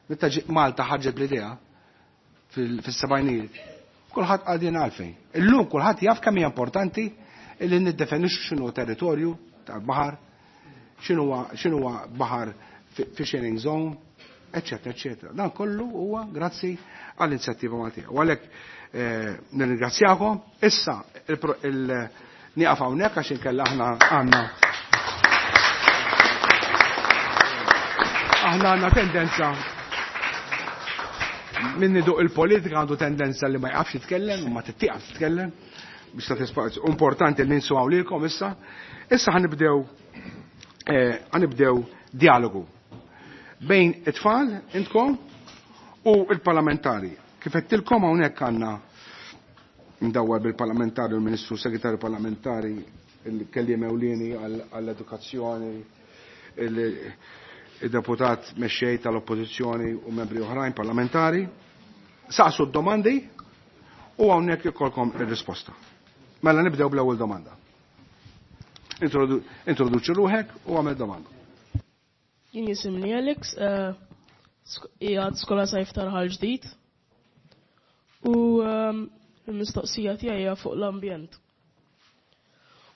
Meta ġi-, Malta ħarġet bl-idea fil-, fis-sebgħinijiet, kulħadd qal din għalfejn. Illum kulħadd jaf kemm hija importanti li niddefendixxu x'inhu territorju tal-baħar, x'inhuwa, x'inhuwa baħar fi-, fishing zone, eccetera, eccetera. Dan kollu huwa grazzi għall-inizjattiva Maltija. U għalhekk, eh, nirringrazzjakom. Issa il-pro-, il-, nieqaf hawnhekk għax inkella aħna għandna aħna għandna tendenza min iduq il-politika għandu tendenza li ma jqafx jitkellem u ma tittieqaf titkellem biex ta' spazju. Importanti li ninsuaw lilkom issa. Issa ħanibdew, eh, ħanibdew dialogu bejn it-tfal intkom u il-parlamentari. Kif għedtilkom hawnhekk għandna Mdawwar bil-parlamentari u l-Ministru Segretarju Parlamentari, il-kelliem ewlieni għall-edukazzjoni, il-deputat mexxej tal-Oppożizzjoni u membri oħrajn parlamentari. Saqsu d-domandi u hawnhekk ikolkom ir-risposta. Mela nibdew bl-ewwel domanda. Introduċi ruħek u għamel domanda. Jien jisimni Alex, qiegħed skola sajf ta' Raħal Ġdid u l-mistoqsija tiegħi hija fuq l-ambjent.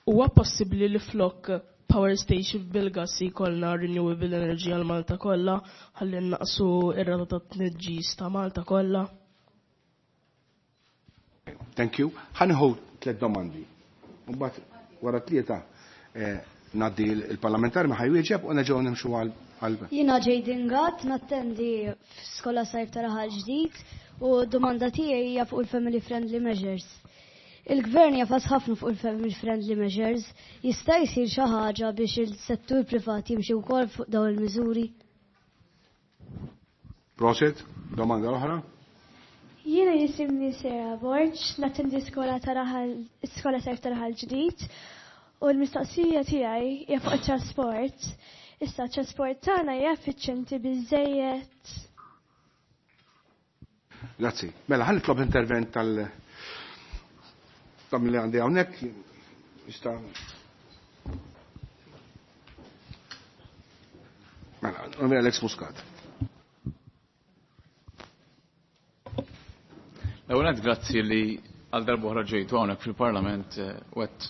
Huwa possibbli li flok power station bil-gas jkollna renewable energy għal Malta kollha ħalli naqsu ir-rata ta' tniġġis ta' Malta kollha? Thank you. Ħa nieħu tliet domandi. Mbagħad wara tlieta ngħaddi il-parlamentari ma ħa jwieġeb u nerġgħu nimxu għal. Jiena Jaden Gatt, nattendi f'skola sajf ta' Raħal Ġdid u domanda tiegħi hija fuq il-family friendly measures. Il-gvern jagħfas ħafna fuq il-family friendly measures, jista' jsir xi ħaġa biex il-settur privat jimxi wkoll fuq dawn il-miżuri? Prosit, domanda l-oħra? Jiena jisimni Sera Borg, nattendi skola ta' Raħal skola sajf ta' Raħal Ġdid u l-mistoqsija tiegħi hija fuq it-trasport. Issa t-trasport tagħna hija effiċjenti biżejjed. Grazzi. Mela ħa nitlob intervent tal tam li għandi hawnhekk jista' Mela, Alex Muscat. L-ewwel grazzi li għal darba oħra ġejtu hawnhekk fil-Parlament u qed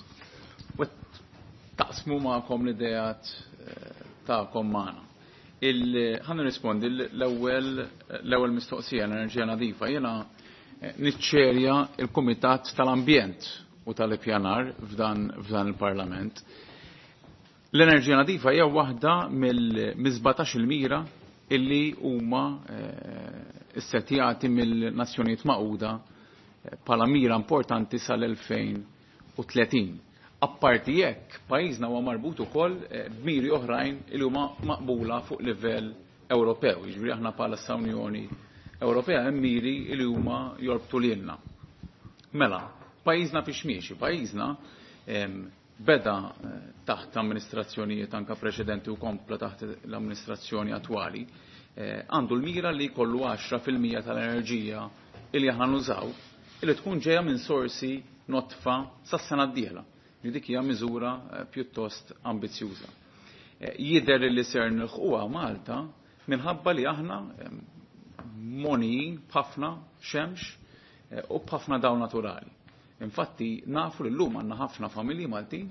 taqsmu magħkom l-ideat tagħkom magħna. Ħa nirrispondi l-ewwel l-ewwel mistoqsija, l-enerġija nadifa. Jiena niċċerja il-Kumitat tal-Ambjent u tal-Ippjanar f'dan f'dan il-Parlament. L-enerġija nadifa hija waħda mill-sbatax il-mira illi huma issettjati mill-Nazzjonijiet Magħquda bħala mira importanti sal-elfejn u tletin. Apparti jekk, pajjiżna huwa marbut ukoll b'miri oħrajn li huma maqbula fuq livell Ewropew. Jiġifieri aħna bħala Unjoni Ewropea hemm miri li huma jorbtu lilna. Mela, pajjiżna fiex miexi, pajjiżna beda taħt amministrazzjonijiet anka preċedenti u kompla taħt l-amministrazzjoni attwali, għandu l-mira li jkollu għaxra fil-mija tal-enerġija li aħna nużaw illi tkun ġejja minn sorsi notfa sas-sena d-dieħla. Li dik hija miżura pjuttost ambizzjuża. Jidher li ser nilħquha Malta minħabba li aħna monijin b'ħafna xemx u b'ħafna dawl naturali. Infatti nafu li llum għandna ħafna familji Maltin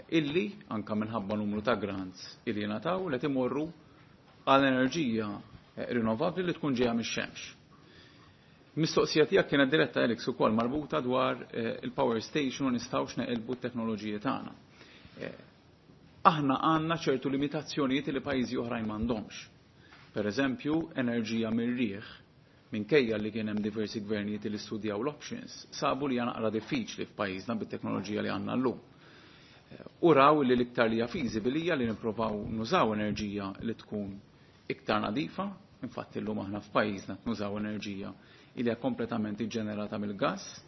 illi anka minħabba numru ta' grants illi jingħataw li timorru għal enerġija rinnovabbli li tkun ġejja mix-xemx. Mistoqsija tiegħek kienet diretta Alex ukoll marbuta dwar il-power station u nistgħux neqilbu t-teknoloġiji tagħna. Aħna għandna ċertu limitazzjonijiet li pajjiżi oħrajn m'għandhomx. Per eżempju, enerġija mir-riħ, minkejja li kien hemm diversi gvernijiet li studjaw l-options, sabu li hija naqra diffiċli f'pajjiżna bit-teknoloġija li għandna llum. U raw li l-iktar li hija feasible hija li nippruvaw nużaw enerġija li tkun iktar nadifa, infatti llum aħna f'pajjiżna nużaw enerġija li hija kompletament iġġenerata mill-gass,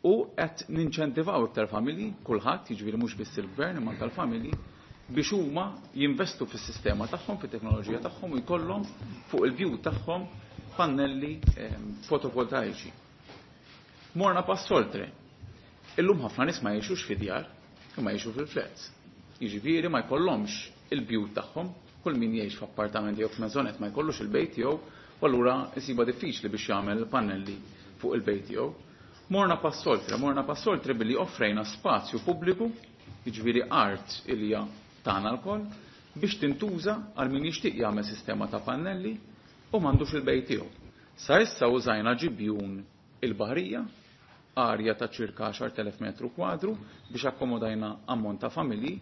u qed ninċentivaw iktar familji, kulħadd, jiġifieri mhux biss il-gvern imma anke l-familji, biex huma jinvestu fis-sistema tagħhom, fit-teknoloġija tagħhom u jkollhom fuq il-bjut tagħhom pannelli fotovoltaiċi. Morna pass oltre. Illum ħafna nies ma jgħixux fi djar, imma jgħixu fil-flats. Jiġifieri ma jkollhomx il-bjut tagħhom, kull min jgħix f'appartamenti jew f'mezzonet ma jkollux il-bejt tiegħu, u allura isiba diffiċli biex jagħmel pannelli fuq il-bejt tiegħu. Morna pass oltre, morna pass oltre billi offrejna spazju pubbliku, jiġifieri art ilja tagħna lkoll, biex tintuża għal min jixtieq jagħmel sistema ta' pannelli u m'għandux il-bejt tiegħu. Sa issa użajna ġibjun il-baħrija, arja ta' ċirka għaxar telef metru kwadru biex akkomodajna ammont ta' familji,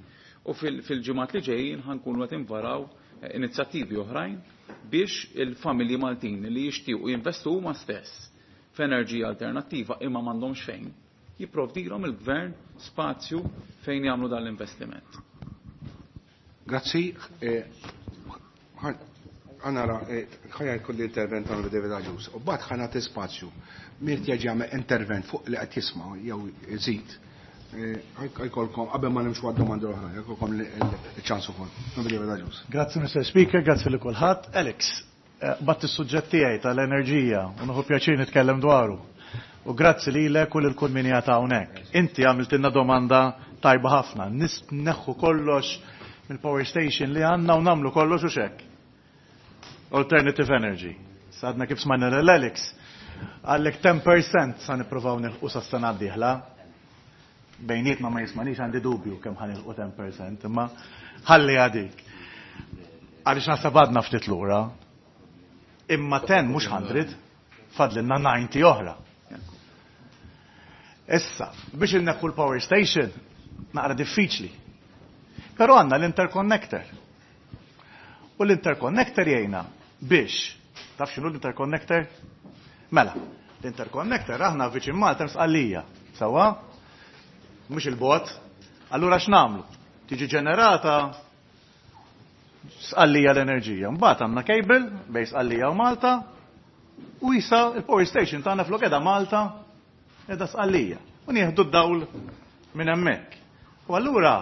u fil-ġimgħat li ġejjin ħankunu qed invaraw inizjattivi oħrajn biex il-familji Maltin li jixtiequ jinvestu huma stess f'enerġija alternattiva imma m'għandhomx fejn, jipprovdilhom il-gvern spazju fejn jagħmlu dan l-investiment. Grazzi. Għanara, ħajja jkun l-intervent għal David Agius, u bat ħana spazju, min jerġa' jagħmel intervent fuq li qed jisma' jew iżid. Ħajkolkom qabel ma nimxu għad-domandi l-oħra, jkollkom il-ċans ukoll. David Agius. Grazzi Mister Speaker, grazzi li kulħadd. Alex, batt is-suġġett tiegħi tal-enerġija u nieħu pjaċir nitkellem dwaru. U grazzi lilek u lil kull min qiegħed hawnhekk. Inti għamiltilna domanda tajba ħafna. Neħħu kollox mill-power station li għandna u nagħmlu kollox u xek. Alternative energy. Sadna kif smajna l-Alex, għallek ten percent sa nippruvaw nilħqu sa sena d-dieħla. Bejnietna, ma jismanix, għandi dubju kemm ħa nilħqu ten percent, imma ħalli għadik. Għaliex naħseb għadna ftit lura. Imma ten mhux mija, fadlinna disgħin oħra. Issa, biex inneħħu l-power station, naqra diffiċli. Però għandna l-interconnector. U l-interconnector jgħinna biex, taf x'inhu l-interconnector? Mela, l-interconnector, aħna viċin Malta, Sqallija, sewwa? Mhux il-bot. Allura x'nagħmlu? Tiġi ġenerata Sqallija l-enerġija. Mbagħad għandna cable bejn Sqallija u Malta u issa il-power station tagħna flok qiegħda Malta qiegħda Sqallija. U nieħdu d-dawl minn hemmhekk. U allura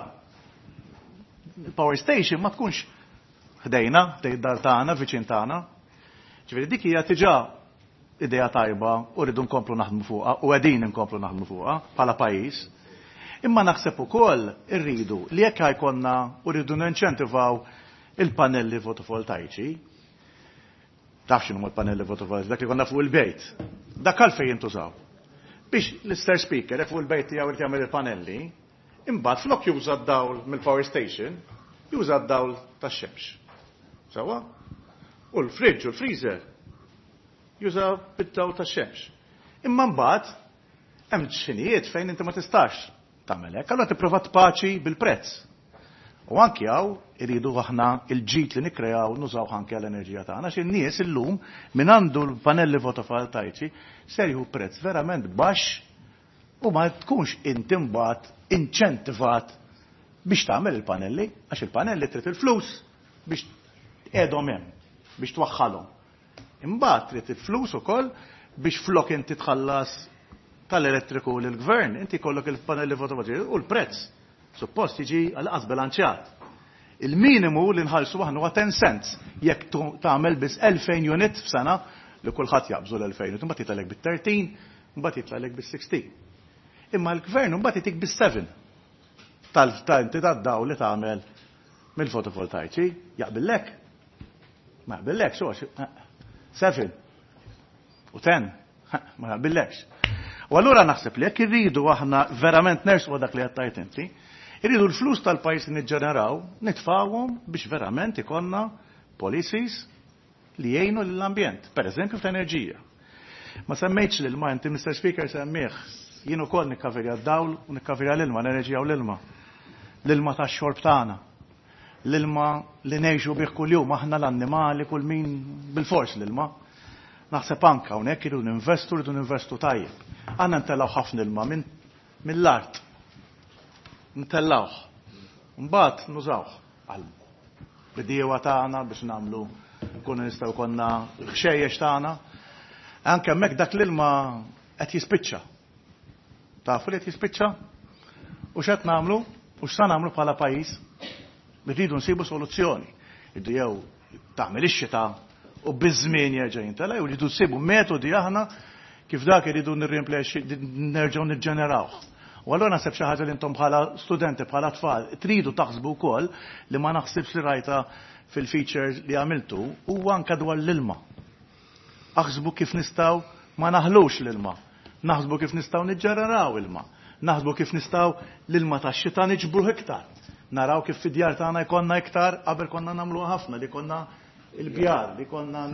il-power station ma tkunx ħdejna, ħdej id-dar tagħna, viċin tagħna. Ġifieri dik hija diġà idea tajba u rridu nkomplu naħdmu fuqha u qegħdin nkomplu naħdmu fuqha bħala pajjiż. Imma naħseb ukoll irridu li jekk jkollna u rridu ninċentivaw il-panelli fotovoltaiċi. Taf x'inhu l-panelli fotovoltaiċi? Dak li konna fuq il-bejt. Dak għalfejn jintużaw? Biex l-Mister Speaker fuq il-bejt tiegħu irid jagħmel il-panelli, imbagħad flok juża d-dawl mill-power station, juża d-dawl tax-xemx. Sewwa? U l-fridge u l-freezer juża bid-dawl tax-xemx. Imma mbagħad hemm xinijiet fejn inti ma tistax tagħmel hekk, allura tipprova tpaċi bil-prezz. U anki hawn iridu aħna il-ġid li nikkreaw nużaw anke għall-enerġija tagħna. Xi nies illum min għandu l-panelli fotovoltaiċi ser jieħu prezz verament baxx u ma tkunx inti mbagħad inċentivat biex tagħmel il-panelli, għax il-panelli trid il-flus biex tqegħdhom hemm, biex twaħħalhom. Imbagħad trid il-flus ukoll biex flok inti tħallas tal-elettriku lill-gvern, inti jkollok il-panelli fotovoltaiċi u l-prezz suppost jiġi għal bilanċjat. Il-minimu li nħallsu aħna huwa ten cents jekk tagħmel biss elfejn unit f'sena, li kulħadd jaqbżu l-elfejn, imbagħad jitlagħlek bit-tlettax, imbagħad jitlagħlek bis-sittax. Imma l-gvern mbagħad jitik bis-seba tal-inti tad-dawl li tagħmel mill-fotovoltaiċi, jaqbillek? Ma jaqbillek, xo, seba u ten, ma jaqbillekx. U allura naħseb li jekk irridu aħna verament nersqu dak li għedt inti, irridu l-flus tal-pajjiż li niġġeneraw, nitfawhom biex verament ikollna policies li jgħinu l-ambjent, per eżempju fl-enerġija. Ma semmejtx l-ilma, inti, Mister Speaker, semmih, jien ukoll nikkaverja d-dawl u nikkaverja l-ilma, l-enerġija u l-ilma. L-ilma tax-xorb tagħna. L-ilma li ngħixu bih kuljum, aħna, l-annimali, kull min, bil-fors l-ilma. Naħseb anka hawnhekk irridu ninvestu, rridu ninvestu tajjeb. Għandna ntellgħu ħafna ilma minn mill-art. Ntellgħuh. Mbagħad nużawh għal bidiewa tagħna biex nagħmlu nkunu nistgħu konna ħxejjex tagħna. Anke hemmhekk dak l-ilma qed jispiċċa. Tafu li qed jispiċċa? U x'qed nagħmlu? U x'sa nagħmlu bħala pajjiż? Irridu nsibu soluzzjoni. Irridu jew tagħmel ix-xita u biż-żmien jerġa' jintela, jew rridu nsibu metodi aħna kif dak irridu nirrimplexxi nerġgħu niġġenerawh. U allura naħseb xi ħaġa li intom bħala studenti, bħala tfal, tridu taħsbu wkoll, li ma naħsibx li rajta fil-features li għamiltu, huwa anke dwar l-ilma. Aħsbu kif nistgħu ma naħlux l-ilma. Naħsbu kif nistgħu niġġeneraw ilma. Naħsbu kif nistgħu l-ilma tax-xita niġbruh iktar. Naraw kif fid-djar tagħna jkollna iktar, qabel konna nagħmluha ħafna li konna il-bjar, li konna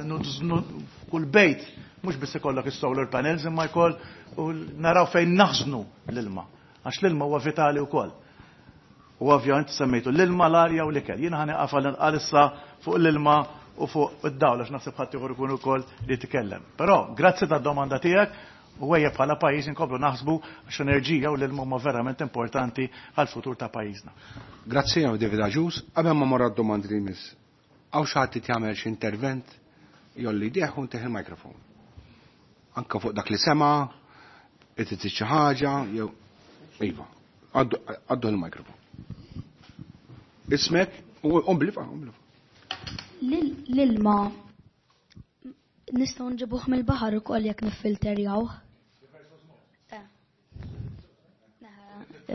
kull bejt, mhux biss ikollok is-solar panels imma jkoll u naraw fejn naħżnu l-ilma. Għax l-ilma huwa vitali wkoll. U ovvjament semmejtu l-ilma, l-arja u l-ikel. Jiena ħa nieqaf għalissa fuq l-ilma u fuq id-dawl għax naħseb ħadd ieħor ikun ukoll li jitkellem. Però grazzi tad-domanda tiegħek u ejja bħala pajjiż inkomplu naħsbu għax enerġija u l-ilma huma verament importanti għal futur ta' pajjiżna. Grazzi għaw David Agius. Qabel ma morra d-domandi li jmiss. Hawn xi ħadd jagħmel xi intervent jolli idejh u ntih il-mikrofon. Anka fuq dak li sema, irid xi ħaġa, jew iva. Għaddu l-mikrofon. Ismek, umblifa, umblifa. L-ilma nistgħu nġibuh mill-baħar ukoll jekk niffilterjawh.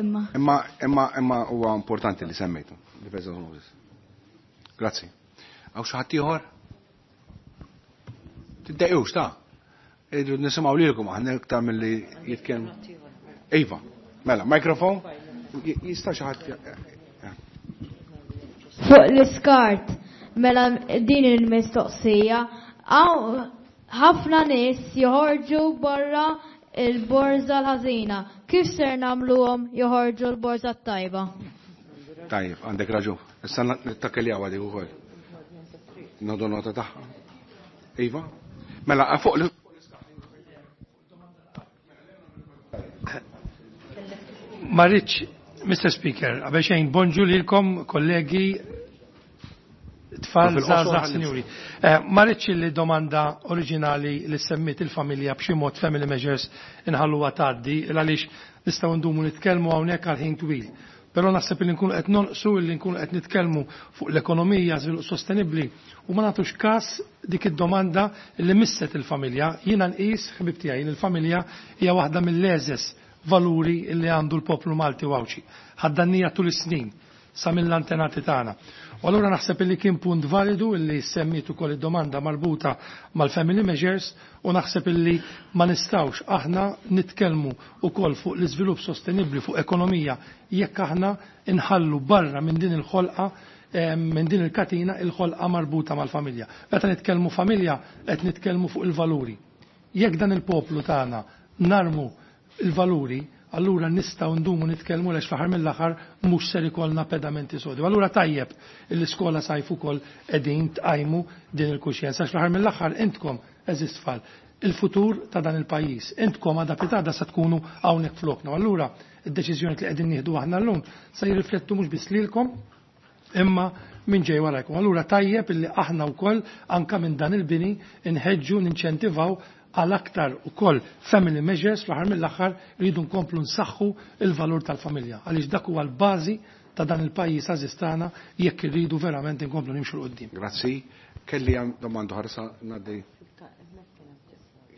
Imma. Imma imma imma huwa importanti li semmejtu, reverse osmosis. Grazzi. Hawn xi ħadd ieħor? Tiddejqux ta' irridu nisimgħu lilkom aħna iktar milli jitkellmu. Iva, mela, mikrofon? Jista' xi ħadd Fuq l-iskart, mela din il-mistoqsija, ħafna nies joħorġu barra il-borża l-ħażina. Kif ser nagħmluhom joħorġu l-borża t-tajba? Tajjeb, għandek raġun. Issa nittakkeljaw għadik ukoll. Nodu nota tagħha. Iva? Mela, fuq l Ma rridx, Mister Speaker, qabel xejn bonġu lilkom kollegi tfal żgħażagħ sinjuri. Ma rridx li domanda oriġinali li semmit il-familja b'xi mod family measures inħalluha tgħaddi għaliex nistgħu ndumu nitkellmu hawnhekk għal ħin twil. Però naħseb li nkunu qed nonqsu li nkunu qed nitkellmu fuq l-ekonomija, żvilupp sostenibbli u ma nagħtux każ dik id-domanda li misset il-familja. Jiena nqis ħbib tiegħi li l-familja hija waħda mill-eżes valuri li għandu l-poplu Malti u Għawdxi. Ħaddannija tul is-snin sa mill-antenati tagħna. U allura naħseb li kien punt validu illi semmiet ukoll id-domanda marbuta mal-family measures u naħseb illi ma nistgħux aħna nitkellmu ukoll fuq l-iżvilupp sostenibbli fuq ekonomija jekk aħna inħallu barra minn din il-ħolqa minn din il-katina il-ħolqa marbuta mal-familja. Meta nitkellmu familja qed nitkellmu fuq il-valuri. Jekk dan il-poplu tagħna narmu il-valuri, allura nistgħu ndumu nitkellmu għax fl-aħħar mill-aħħar mhux ser ikollna pedamenti sodi. Allura tajjeb l-iskola sajf ukoll qegħdin tqajmu din il-kuxjenza għax fl-aħħar mill-aħħar intkom eżist tfal il-futur ta' dan il-pajjiż. Intkom għada pitada sa tkunu hawnhekk flokna. Allura id-deċiżjoni li qegħdin nieħdu aħna llum se jirriflettu mhux biss lilkom imma minn ġej warajkom. Allura tajjeb illi aħna wkoll anka minn dan il-bini inħeġġu ninċentivaw għal aktar ukoll family measures fl-aħħar mill-aħħar rridu nkomplu nsaħħu il-valur tal-familja għaliex dak huwa l-bażi ta' dan il-pajjiż għażiż tagħna jekk irridu verament inkomplu nimxu 'l quddiem. Grazzi. Kelli hemm domanda oħra sa ngħaddi.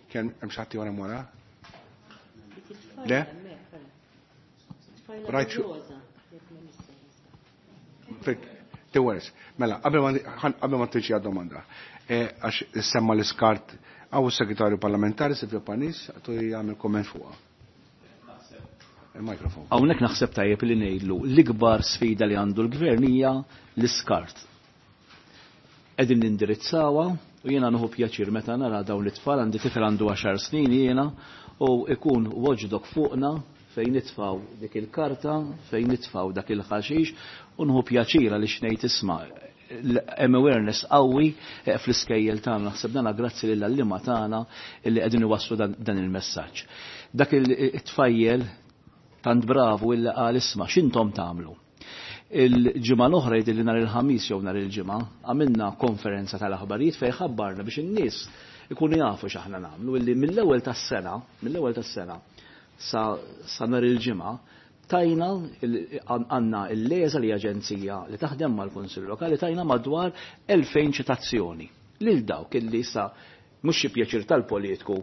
Kien hemm xi ħadd ieħor hemm wara? Le? Rajt Tiwers. Mela, qabel ma tiġi għad-domanda. Għax semma l-iskart għaw il-segretarju parlamentari Silvio Panis għatu jgħamil komment fuqa. Il-mikrofon. Hawnhekk naħseb tajjeb li ngħidlu l-ikbar sfida li għandu l-gvern hija l-iskart. Qegħdin nindirizzawha u jiena nieħu pjaċir meta nara dawn it-tfal, għandi tifel għandu għaxar snin jiena u ikun watchdog fuqna fejn nitfaw dik il-karta, fejn nitfaw dak il-ħaxix u nħu pjaċir għaliex ngħid isma' hemm awareness qawwi fl-iskejjel tagħna, naħseb dana grazzi lil għalliema tagħna illi qegħdin iwasslu dan il-messaġġ. Dak it-tfajjel tant bravu illi qal isma' x'intom tagħmlu. Il-ġimgħa l-oħra jidhirli nhar il-ħamis jew nhar il-ġimgħa għamilna konferenza tal-aħbarijiet fejn ħabbarna biex in-nies ikunu jafu x'aħna nagħmlu illi mill-ewwel tas-sena, mill-ewwel tas-sena sa, sa nhar il-ġimgħa tajna għandna l-LESA li aġenzija li taħdem mal-Kunsill Lokali tajna madwar elfejn ċitazzjoni lil dawk illi sa mhux xi pjaċir tal-politiku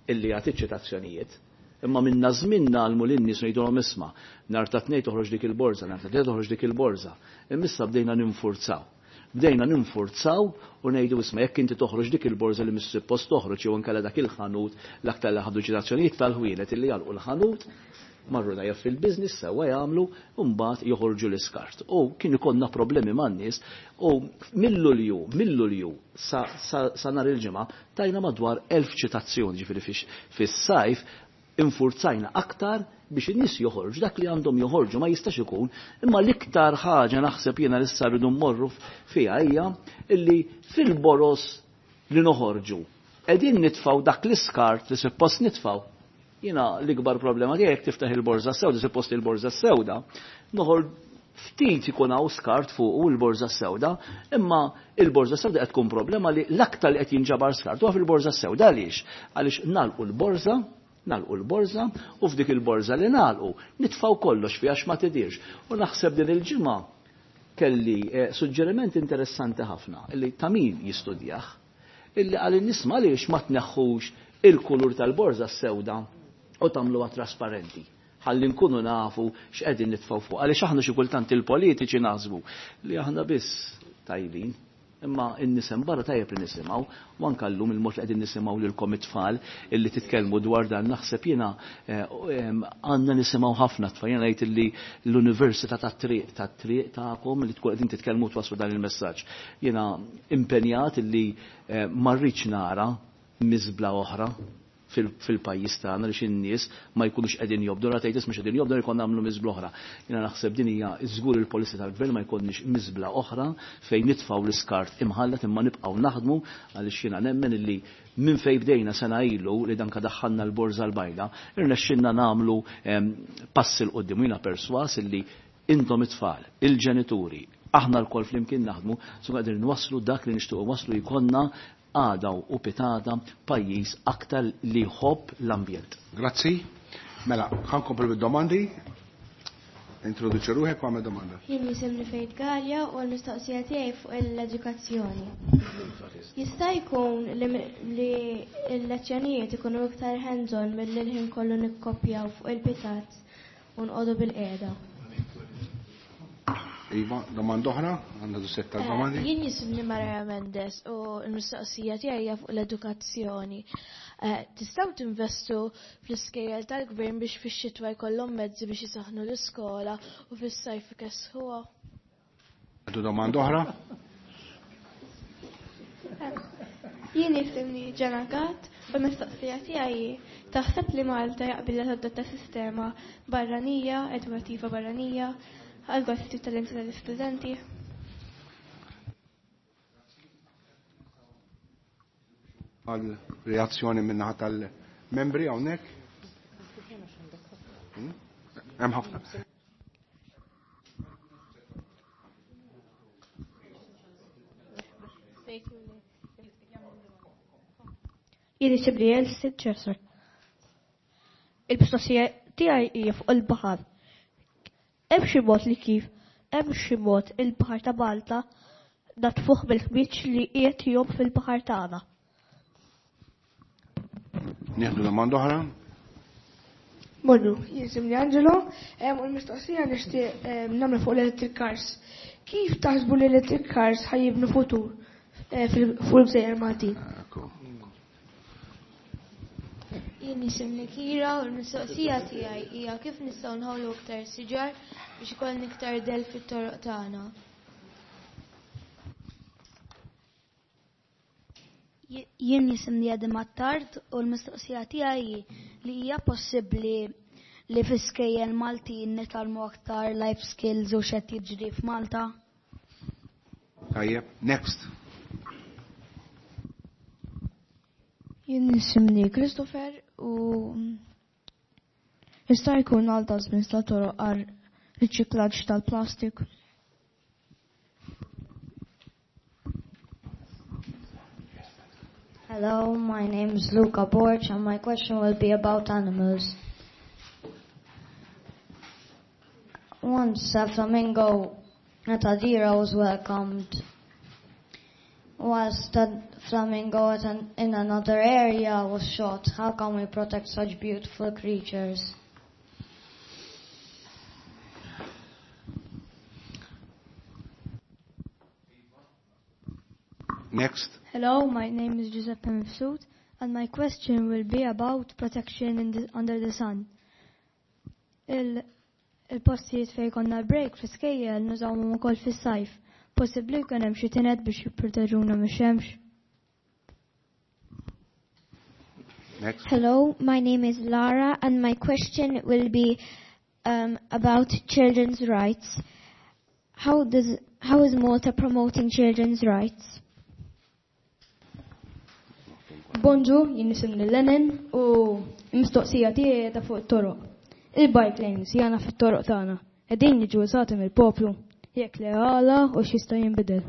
illi jagħti ċitazzjonijiet. Imma minna żmien nagħlmu lin-nies ngħidulhom isma' nhar ta' tnejn toħroġ dik il-borża, nhar ta' tnejn toħroġ dik il-borża. Imma issa bdejna ninfurzaw. Bdejna ninfurzaw u ngħidu isma' jekk inti toħroġ dik il-borża li mhix suppost toħroġ jew inkella dak il-ħanut l-aktar li ħadu ċitazzjonijiet tal-ħwienet illi jagħlqu l-ħanut marru dajja fil-biznis sewwa jagħmlu u mbagħad joħorġu l-iskart. U kien ikollna problemi man-nies u mill-Lulju, mill-Lulju sa, sa, sa nhar il-ġimgħa tajna madwar elf ċitazzjoni, ġifieri fis-sajf infurzajna aktar biex in-nies joħorġu dak li għandhom joħorġu ma jistax ikun, imma l-iktar ħaġa naħseb jiena li issa rridu mmorru fiha hija illi fil-boros li noħorġu qegħdin nitfgħu dak l-iskart li suppost nitfgħu. Jiena l-ikbar problema tiegħek jekk tiftaħ il-borża sewda, suppost il-borża sewda, noħor Ftit ikun hawn skart fuq il-borża sewda, imma il-borża sewda qed tkun problema li l-aktar li qed jinġabar skart huwa fil-borża sewda. Għaliex? Għaliex nagħlqu l-borża, nagħlqu l-borża u f'dik il-borża li nagħlqu nitfgħu kollox fiha għax ma tidirx. U naħseb din il-ġimgħa kelli eh, suġġeriment interessanti ħafna illi ta' min jistudjah, illi għal nisma' għaliex ma tneħħux il-kulur tal-borża s-sewda u tagħmluha trasparenti ħalli nkunu nafu x'qegħdin nitfgħu fuq. Għaliex aħna xi kultant il-politiċi naħsbu li aħna biss tajbin, imma n-nisem barra tajjeb li nisimgħu, u anke llum il-mod li qegħdin nisimgħu lilkom it-tfal illi titkellmu dwar dan, naħseb jiena għandna nisimgħu ħafna tfal. Jiena ngħid illi l-università tat-triq tat-triq tagħkom li tkun qegħdin titkellmu twasslu dan il-messaġġ. Jiena impenjat illi ma rridx nara miżbla oħra fil-pajjiż tagħna li in-nies ma jkunux qegħdin jobdu, ra tgħid mhux qegħdin jobdu jkun nagħmlu miżbla oħra. Jiena naħseb din hija żgur il-policy tal-gvern ma jkollniex miżbla oħra fejn nitfgħu l-iskart imħallat, imma nibqgħu naħdmu għaliex jiena nemmen illi minn fejn bdejna sena ilu li danka daħħalna l-borża l-bajda, irnexxinna nagħmlu pass il quddiem. Jiena perswas illi intom it-tfal, il-ġenituri, aħna lkoll flimkien naħdmu, su qegħdin nwasslu dak li nixtiequ waslu jkollna għada u pitada pajjiż aktar li jħobb l-ambjent. Grazzi. Mela, ħankomplu bid-domandi. Introduċi ruħek u għamel domanda. Jien jisimni Fejt Galja u l-mistoqsija tiegħi fuq l-edukazzjoni. Jista' jkun li l-lezzjonijiet ikunu iktar hands-on milli l-ħin kollu nikkopjaw fuq il-pitat u nqogħdu bil-qiegħda. Iva, domanda oħra, għandna du setta domandi. Jien jisimni Maria Mendes u l-mistoqsija tiegħi hija fuq l-edukazzjoni. Tistgħu tinvestu fl-iskejjel tal-gvern biex fix-xitwa jkollhom mezzi biex isaħħnu l-iskola u fis-sajf ikessħuha? Għandu domanda oħra? Jien jisimni Ġena Gatt u l-mistoqsija tiegħi taħseb li Malta jaqbilha tadotta sistema barranija, edukattiva barranija, għal gosti tal-talenti tal-istudenti. Għal reazzjoni minnaħa tal-membri hawnhekk? Hemm ħafna. Jien isibli Elsie Ċesar. Il-mistoqsija tiegħi hija fuq il-baħar. Hemm xi mod li kif hemm xi mod il-baħar ta' Malta natfuh bil-ħmieġ li qiegħed jom fil-baħar tagħna. Nieħdu domanda oħra? Bonġu, jisimni Angelo, u l-mistoqsija nixtieq nagħmel fuq l-electric cars. Kif taħsbu l-electric cars ħajibnu futur fuq il-gżejjer Maltin? Jien jisimni Kira u l-mistoqsija tiegħi hija kif nistgħu nħawlu iktar siġar biex ikollna iktar del fit-toroq tagħna. Jien jisimni Adam Attard u l-mistoqsija tiegħi hi li hija possibbli li fl-iskejjel Maltin nitgħallmu aktar life skills u x'qed jiġri f'Malta? Tajjeb, next. Jien jisimni Christopher u jista' jkun għal dustbins ta' toroq għal riċiklaġġ tal-plastik. Hello, my name is Luca Borch and my question will be about animals. Once a flamingo at Adira was welcomed, whilst a flamingo at an, in another area was shot. How can we protect such beautiful creatures? Next. Hello, my name is Giuseppe Mifsud, and my question will be about protection in the, under the sun. Il, il-postijiet fejn konna l-break fl-iskejjel nużawhom ukoll fis-sajf. Possibbli jkun hemm xi tinet biex jipproteġuna mix-xemx. Next. Hello, my name is Lara, and my question will be um, about children's rights. How does, how is Malta promoting children's rights? Bonġu, jien nisimni Lennon u l-mistoqsija tiegħi ta' fuq it-toroq. Il-bike lanes jana fit-toroq tagħna. Qegħdin jiġu użati mill-poplu, jekk le għala u x'jista' jinbidel.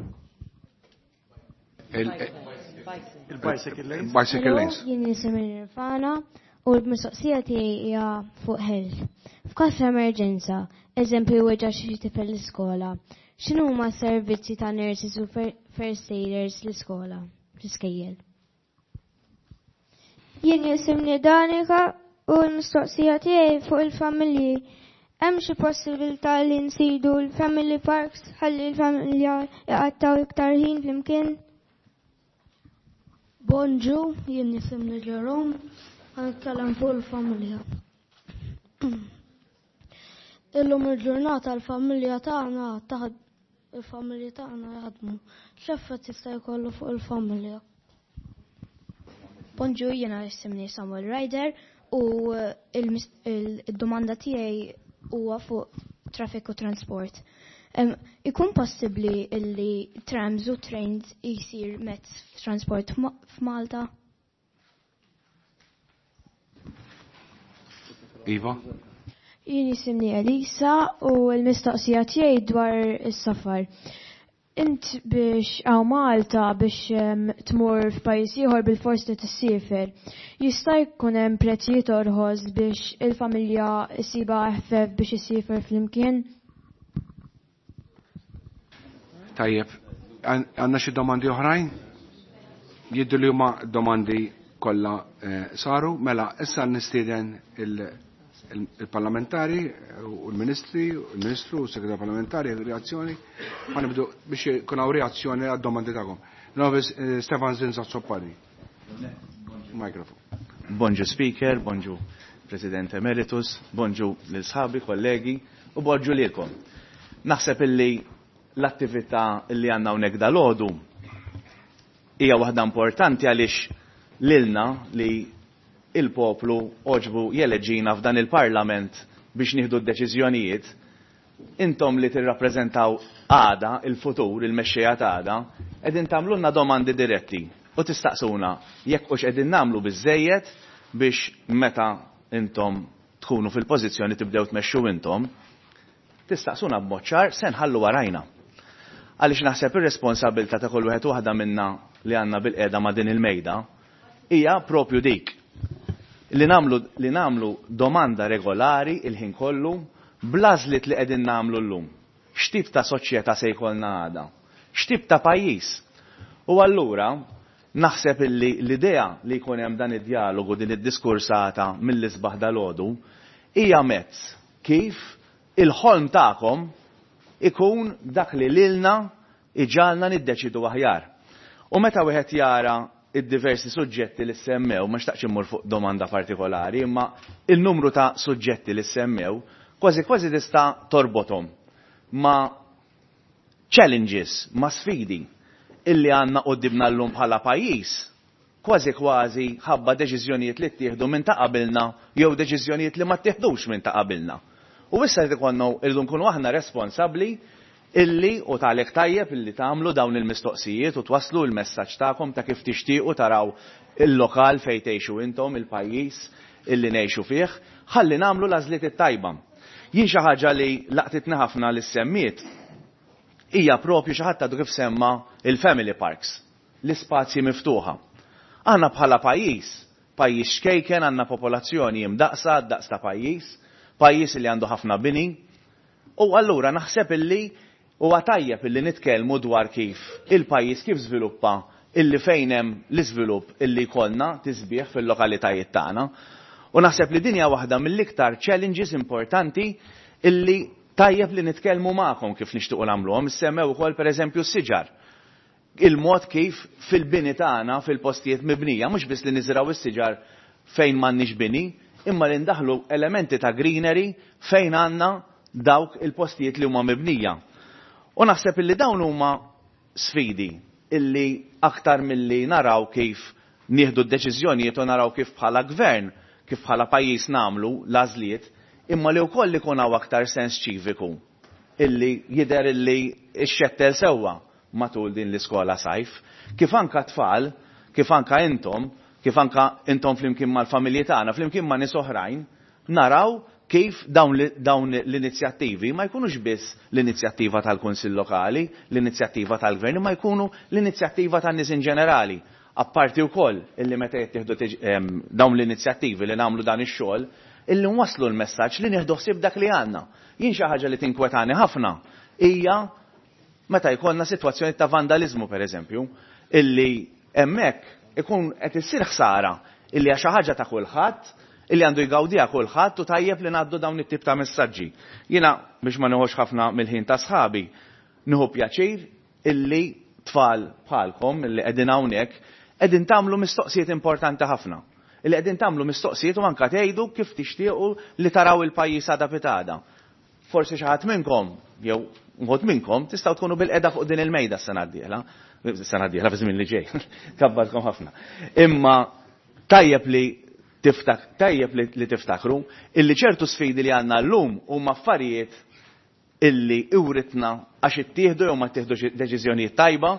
Il-bicycle lanes. Bicycle lanes. Jien jisimni Nirvana u l-mistoqsija tiegħi hija fuq health. F'każ ta' emerġenza, eżempju weġġa' xi tifel l-iskola, x'inhuma s-servizzi ta' nurses u first aiders l-iskola, fl-iskejjel? Jien jisimni Danika u l-mistoqsija tiegħi fuq il-familji. Hemm xi possibilità li nsidu l-family parks ħalli l-familja jqattgħu iktar ħin flimkien? Bonġu, jien jisimni Jerome, ħa nitkellem fuq il-familja. Illum il-ġurnata l-familja tagħna taħd il-familji tagħna jaħdmu. X'effett jista' jkollu fuq il-familja? Bonġu, jiena jisimni Samuel Ryder u il-domanda tiegħi huwa fuq traffic u transport. Ikun possibbli illi trams u trains jisir mezz transport f'Malta? Iva? Jien jisimni Elisa u l-mistoqsija tiegħi dwar is-safar. Int biex għaw Malta biex tmur f'pajjiż ieħor bil-fors li tissiefer. Jista' jkun hemm prezzijiet orħos biex il-familja ssiba eħfef biex issiefer flimkien? Tajjeb, għandna xi domandi oħrajn? Jiddu li huma domandi kollha saru, mela issa nistieden il-parlamentari u l-ministri, il-ministru u s-segretar parlamentari, reazzjoni, ma nibdu biex jkun hawn reazzjoni għad-domandi tagħkom. Novis Stefan Zinza Azzopardi. Mikrofon. Bonġu Speaker, bonġu President Emeritus, bonġu lil sħabi, kollegi u bonġu lilkom. Naħseb illi l-attività illi għandna hawnhekk dalgħodu hija waħda importanti għaliex lilna li il-poplu oġbu jeleġina f'dan il-parlament biex nieħdu d-deċiżjonijiet, intom li tirrappreżentaw għada, il-futur, il-mexxejja ta' għada, qegħdin tagħmlulna domandi diretti u tistaqsuna jekk hux qegħdin nagħmlu biżejjed biex meta intom tkunu fil-pożizzjoni tibdew tmexxu intom, tistaqsuna b'mod ċar se nħallu warajna. Għaliex naħseb ir-responsabilità ta' kull wieħed waħda minna li għandna bil-qiegħda ma' din il-mejda hija propju dik li namlu, li namlu domanda regolari il-ħin kollu bl-għażliet li qegħdin nagħmlu llum. X'tip ta' soċjetà se jkollna għada? X'tip ta' pajjiż? U allura naħseb illi l-idea li jkun hemm dan id-dialogu, din id-diskursata mill-isbaħ dalgħodu hija mezz kif il-ħolm tagħkom ikun dak li lilna iġalna niddeċidu aħjar. U meta wieħed jara id-diversi suġġetti li semmew, ma xtaqx immur fuq domanda partikolari, imma il-numru ta' suġġetti li semmew, kważi kważi tista' torbothom ma' challenges, ma' sfidi illi għandna qudiemna llum bħala pajjiż, kważi kważi ħabba deċiżjonijiet li ttieħdu minn ta' qabilna jew deċiżjonijiet li ma ttieħdux minn ta' qabilna. U issa jrid ikollna irridu nkunu aħna responsabbli illi u talek tajjeb illi tagħmlu dawn il-mistoqsijiet u twaslu l-messaġġ tagħkom ta' kif tixtiequ taraw il-lokal fejn tgħixu intom, il-pajjiż illi ngħixu fih, ħalli nagħmlu l-għażliet it-tajba. Jien xi ħaġa li laqtitni ħafna li semmiet hija propju xi ħadd għadu kif semma il-family parks, l-ispazji miftuħa. Aħna bħala pajjiż, pajjiż xkejken, għandna popolazzjoni imdaqsa, daqs ta' pajjiż, pajjiż li għandu ħafna bini, u allura naħseb illi huwa tajjeb illi nitkellmu dwar kif il-pajjiż kif żviluppa illi fejn hemm l-iżvilupp illi jkollna tisbieħ fil-lokalitajiet tagħna. U naħseb li din hija waħda mill-iktar challenges importanti illi tajjeb li nitkellmu magħkom kif nixtiequ nagħmluhom. Issemmew ukoll pereżempju s-siġar. Il-mod kif fil-bini tagħna, fil-postijiet mibnija, mhux biss li niżraw is-siġar fejn m'għandniex bini, imma li ndaħlu elementi ta' greenery fejn għandna dawk il-postijiet li huma mibnija. U naħseb illi dawn huma sfidi illi aktar milli naraw kif nieħdu d-deċiżjonijiet u naraw kif bħala gvern, kif bħala pajjiż nagħmlu l-għażliet, imma li wkoll ikun hawn aktar sens ċiviku illi jidher illi xxettel sewwa matul din l-iskola sajf, kif anka tfal, kif anka intom, kif anka intom flimkien mal-familji tagħna, flimkien ma' nies oħrajn, naraw kif dawn, dawn l-inizjattivi ma jkunux biss l-inizjattiva tal-Kunsill Lokali, l-inizjattiva tal-Gvern, ma jkunu l-inizjattiva tan-nies in ġenerali. Apparti wkoll illi meta jittieħdu dawn l-inizjattivi li nagħmlu dan ix-xogħol, illi nwasslu l-messaġġ li nieħdu ħsieb dak li għandna. Jien xi ħaġa li tinkwetani ħafna hija meta jkollna sitwazzjoni ta' vandaliżmu pereżempju, illi hemmhekk ikun qed issir ħsara illi hija xi ħaġa ta' kulħadd, illi għandu jgawdiha kulħadd u tajjeb li ngħaddu dawn it-tip ta' messaġġi. Jiena biex ma nieħux ħafna mill-ħin ta' sħabi, nieħu pjaċir illi tfal bħalkom illi qegħdin hawnhekk qegħdin tagħmlu mistoqsijiet importanti ħafna. Illi qegħdin tagħmlu mistoqsijiet u anke tgħidu kif tixtiequ li taraw il-pajjiż għada pitada. Forsi xi ħadd minnkom jew wħud minnkom tistgħu tkunu bil-qeda fuq din il-mejda s-sena d-dieħla. S-sena d-dieħla fi żmien li ġej. Kabbarkom ħafna. Imma tajjeb li tiftak, tajjeb li, li tiftakru illi ċertu sfidi li għandna llum huma affarijiet illi iwritna għax ittieħdu jew ma ttieħdux deċiżjonijiet tajba,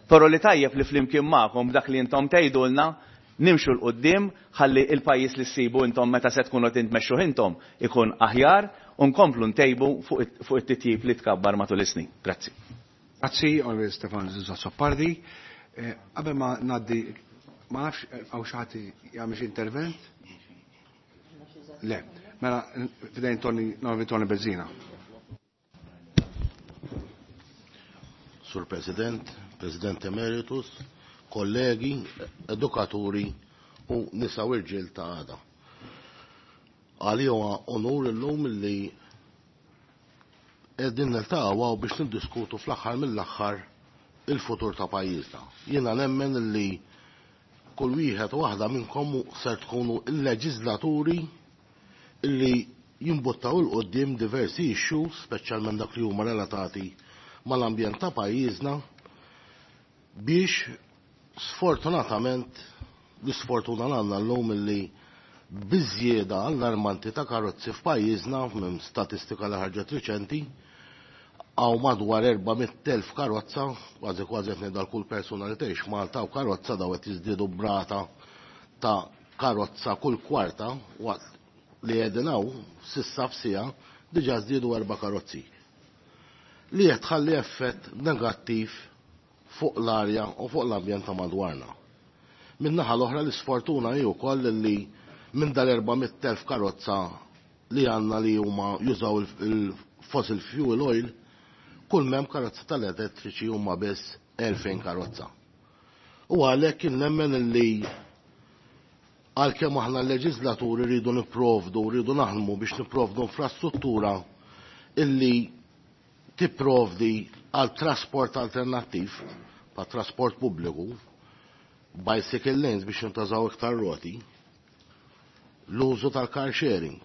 però li tajjeb li flimkien magħkom b'dak li intom tgħidulna nimxu 'l quddiem ħalli il-pajjiż li ssibu intom meta se tkunu qed tmexxuh intom ikun aħjar u nkomplu ntejbu fuq it-titjib li tkabbar matul is-snin. Grazzi. Grazzi, Onorevoli Stefan Azzopardi. Qabel ma ngħaddi, ma nafx hawn xi ħadd jagħmel xi intervent? Le, mela fidejn Tony, Onorevoli Tony Bezzina. Sur President, President Emeritus, kollegi, edukaturi u nisa u irġiel ta' għada. Għalija huwa onur illum li qegħdin niltaqgħu biex niddiskutu fl-aħħar mill-aħħar il-futur ta' pajjiżna. Jiena nemmen li kull wieħed u waħda minnkom ser tkunu il-leġislaturi illi jimbuttaw il quddiem diversi issues, speċjalment dak li huma relatati mal-ambjent ta' pajjiżna, biex sfortunatament l-isfortuna għandna llum illi biżjieda allarmanti ta' karozzi f'pajjiżna minn statistika li ħarġet riċenti hawn madwar erba' mitt elf karozza, kważi kważi qed ngħidu għal kull persuna li tgħix Malta u karozza daw qed jiżdiedu brata ta' karozza kull kwarta waqt li qegħdin hawn s'issa f'siegħa diġà żdiedu erba' karozzi. Li qed tħalli effett negattiv fuq l-arja u fuq l-ambjent ta' madwarna. Min-naħa l-oħra l-isfortuna hi wkoll li minn dal-erba' mitt elf karozza li għandna li huma jużaw il-fossil fuel oil, kull mem karozza tal-elettriċi huma biss elfejn karozza. U għalhekk nemmen li għalkemm aħna l-leġislaturi rridu nipprovdu, rridu naħdmu biex nipprovdu infrastruttura illi tipprovdi għal trasport alternattiv, pa' trasport pubbliku, bicycle lanes biex jintażaw iktar roti, l-użu tal-car sharing.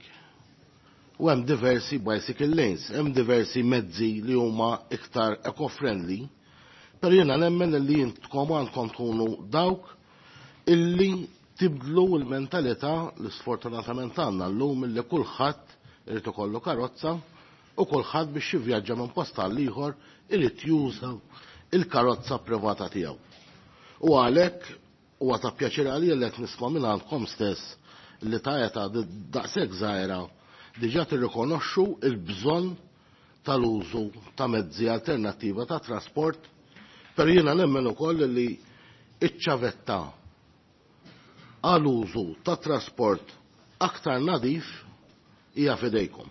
U hemm diversi bicycle lanes, hemm diversi mezzi li huma iktar eco-friendly, però jiena nemmen li intkom għandkom tkunu dawk illi tibdlu l-mentalità li sfortunatament għandna llum illi kulħadd irid ikollu karozza u kulħadd biex jivvjaġġa minn post għal ieħor irid juża il-karozza privata tiegħu. U għalhekk huwa ta' pjaċir għalija li qed nisma' minn għandkom stess li ta' età daqshekk żgħira diġà tirrikonoxxu l-bżonn tal-użu ta' mezzi alternattiva ta' trasport, però jiena nemmen ukoll li iċ-ċavetta għal użu ta' trasport aktar nadif hija f'idejkom.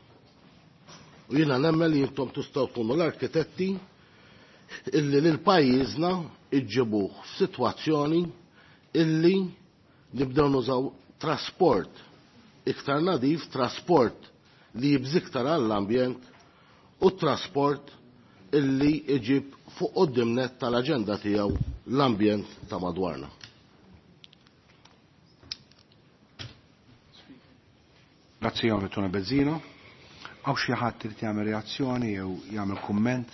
U jiena nemmen li intom tistgħu tkunu l-arkitetti illi lil pajjiżna iġġibuh f'sitwazzjoni illi nibdew nużaw trasport iktar nadif, trasport li jibżiktar għall-ambjent u trasport illi iġib fuq quddiem nett tal-aġenda tiegħu l-ambjent ta' madwarna. Grazzi Onorevoli Tony Bezzina. Hawn xi ħadd irid jagħmel reazzjoni jew jagħmel kumment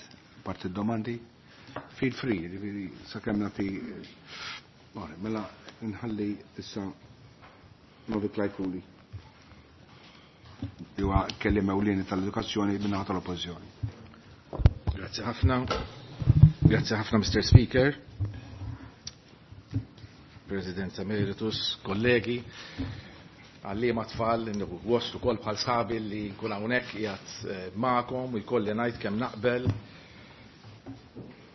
parti d-domandi? Feel free, jiġifieri sakemm nagħti. Mela nħalli issa Novi Klajkuli. Li huwa kelliem ewlieni tal-edukazzjoni min-naħa tal-Oppożizzjoni. Grazzi ħafna. Grazzi ħafna, Mister Speaker, President Emeritus, kollegi. Għalliema tfal, nieħu gost ukoll bħal sħabi li nkun hawnhekk qiegħed magħkom u jkolli ngħid kemm naqbel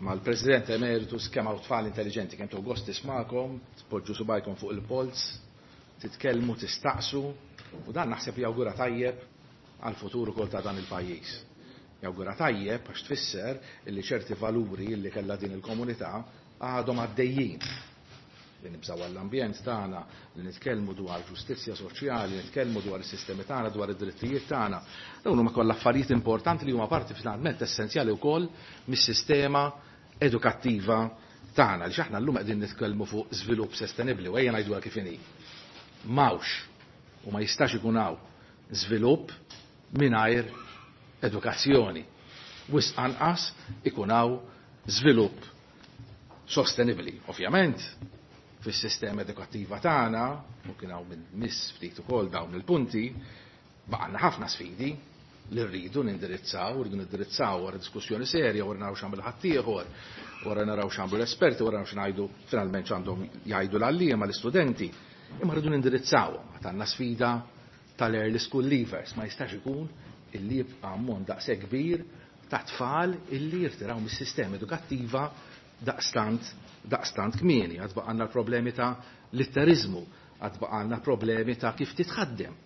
mal-President Emeritus kemm hawn tfal intelligenti, kemm tieħu gost tismagħkom, tpoġġu subajkom fuq il-polz, titkellmu, tistaqsu, u dan naħseb jawgura tajjeb għal-futur ukoll ta' dan il-pajjiż. Jawgura tajjeb għax tfisser illi ċerti valuri illi kellha din il-komunità għadhom għaddejjin. Li nibżaw għall-ambjent tagħna, li nitkellmu dwar ġustizzja soċjali, nitkellmu dwar is-sistemi tagħna, dwar id-drittijiet tagħna. Dawn huma kollha affarijiet importanti li huma parti finalment essenzjali wkoll mis-sistema edukattiva tagħna li aħna llum qegħdin nitkellmu fuq żvilupp sostenibbli u ejja ngħiduha kif inhi. M'hawnx u ma jistax ikun hawn żvilupp mingħajr edukazzjoni. Wisq anqas ikun hawn żvilupp sostenibbli. Ovvjament, fis-sistema edukattiva tagħna, u kien hawn minn miss ftit ukoll dawn il-punti, baqgħna ħafna sfidi li rridu nindirizzaw, rridu nindirizzaw wara diskussjoni serja, wara naraw x'għamel ħaddieħor, wara naraw x'għamlu l-esperti, wara naraw x'ngħidu finalment x'għandhom jgħidu l-għalliema l-istudenti, imma rridu nindirizzawhom. Għad għandna sfida tal-early school leavers, ma jistax ikun illi jibqa' ammont daqshekk kbir ta' tfal illi jirtiraw mis-sistema edukattiva daqstant daqstant kmieni. Għad baqgħalna l-problemi ta' litterizmu, għad baqgħalna problemi ta' kif titħaddem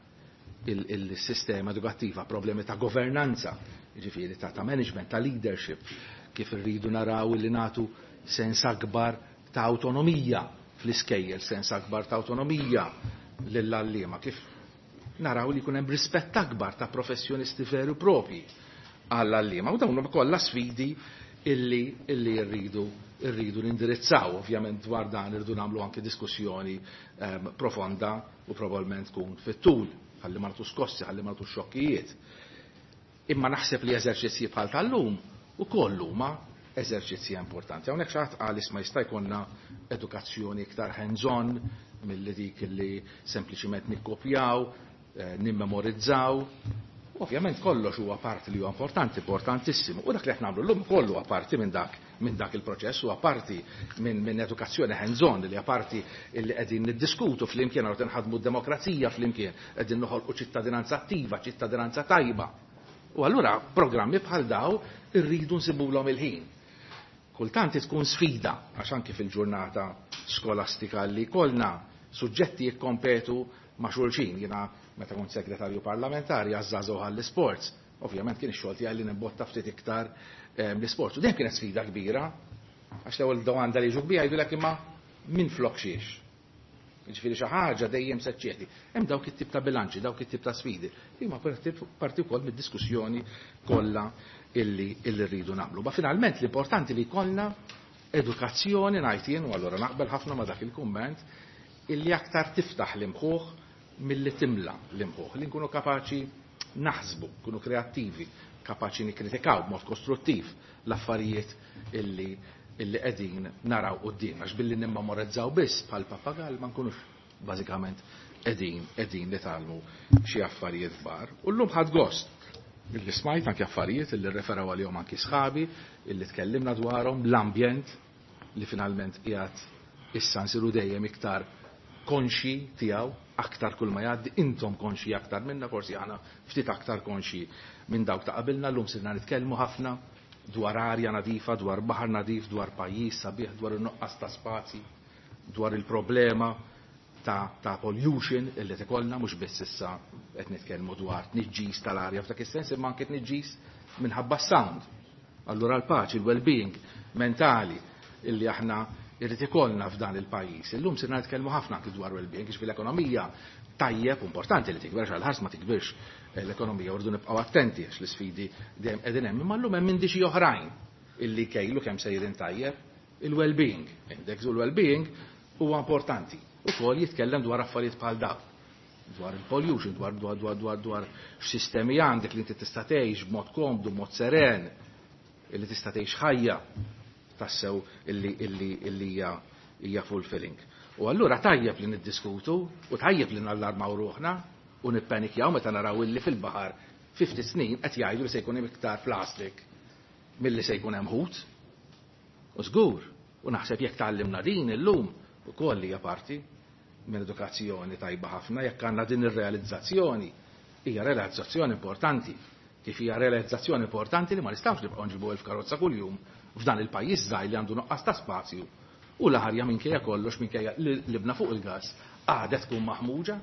il-sistema edukattiva, problemi ta' governanza, jiġifieri ta' ta' management, ta' leadership, kif irridu naraw li nagħtu sens akbar ta' autonomija fl-iskejjel, sens akbar ta' autonomija lill-għalliema, kif naraw li jkun hemm rispett akbar ta' professjonisti veru propri għall-għalliema. U dawn huma kollha sfidi illi illi rridu irridu nindirizzaw. Ovvjament dwar dan irridu nagħmlu anke diskussjoni um, profonda u probabbilment tkun fit-tul, ħalli ma nagħtu skossi, ħalli ma nagħtu xokkijiet. Imma naħseb li eżerċizzji bħal tal-lum ukoll huma eżerċizzji importanti. Hawnhekk xi ħadd qal isma' jista' jkollna edukazzjoni iktar hands-on milli dik li sempliċiment nikkopjaw, eh, nimmemorizzaw. Ovvjament kollox huwa parti li huwa importanti, importantissimu. U dak li qed nagħmlu llum kollu huwa parti minn dak minn dak il-proċess, huwa parti minn min edukazzjoni hands-on li hija parti li qegħdin niddiskutu flimkien għal nħadmu d-demokrazija flimkien, qegħdin noħolqu ċittadinanza attiva, ċittadinanza tajba. U allura programmi bħal daw irridu nsibulhom il-ħin. Kultant tkun sfida għax anki fil-ġurnata skolastika li kollna suġġetti jikkompetu ma' xulxin. Jiena meta kont segretarju parlamentari għaż-żgħażagħ għall-isports, ovvjament kien ix-xogħol tiegħi li nimbotta ftit iktar l-isports. U dejjem kienet sfida kbira, għax l-ewwel domanda li jiġu kbira jgħidulek imma min flok xiex. Jiġifieri xi ħaġa dejjem se ċċedi. Hemm dawk it-tip ta' bilanċi, dawk it-tip ta' sfidi. Li huma parti wkoll mid-diskussjoni kollha illi illi rridu nagħmlu. Ma finalment l-importanti li jkollna edukazzjoni ngħid jien, u allura naqbel ħafna ma' dak il-kumment, illi aktar tiftaħ l-imħuħ milli timla l-imħuħ, li nkunu kapaċi naħsbu, nkunu kreattivi, kapaċi nikkritikaw b'mod kostruttiv l-affarijiet illi illi qegħdin naraw quddiem, għax billi nimmemorizzaw biss bħal papagall ma nkunux bażikament qegħdin qegħdin nitgħallmu xi affarijiet kbar. U llum ħadd gost illi smajt anke affarijiet illi rreferaw għalihom anki sħabi, illi tkellimna dwarhom, l-ambjent li finalment qiegħed issa nsiru dejjem iktar konxi tiegħu, aktar kull ma jgħaddi, intom konxi aktar minna, forsi aħna ftit aktar konxi minn dawk ta' qabilna. Llum sirna nitkellmu ħafna dwar arja nadifa, dwar baħar nadif, dwar pajjiż sabiħ, dwar in-nuqqas ta' spazji, dwar il-problema ta', ta' pollution illi tikollna, mhux biss issa qed nitkellmu dwar tniġġis tal-arja f'dak is-sens, imma anke tniġġis minħabba s-sound. Allura l-paċi, il-well-being mentali illi aħna irrid ikollna f'dan il-pajjiż. Illum sirna nitkellmu ħafna anke dwar well-being, għax fil-ekonomija tajjeb importanti li tikber, għal ħars ma tikbirx l-ekonomija, rridu nibqgħu attenti għax l-isfidi dejjem qegħdin hemm, imma llum hemm indiċi oħrajn illi kejlu kemm sejrin tajjeb il-well-being. Index u l-well-being huwa importanti. Ukoll jitkellem dwar affarijiet bħal dawn, dwar il-pollution, dwar dwar dwar dwar dwar x'sistemi għandek li inti tista' tgħix b'mod komdu, b'mod seren, illi tista' tgħix ħajja tassew illi illi illi hija hija fulfilling. U allura tajjeb li niddiskutu u tajjeb li nallarmaw ruħna u nippanikjaw meta naraw illi fil-baħar fifty snin qed jgħidu li se jkun hemm iktar plastik milli se jkun hemm ħut. U żgur, u naħseb jekk tgħallimna din illum ukoll hija parti minn edukazzjoni tajba ħafna, jekk għandna din ir-realizzazzjoni, hija realizzazzjoni importanti. Kif hija realizzazzjoni importanti li ma nistgħux nibqgħu nġibu elf karozza kuljum f'dan il-pajjiż żgħir li għandu nuqqas ta' spazju u l-arja minkejja kollox, minkejja li libna fuq il-gas, għadha tkun maħmuġa.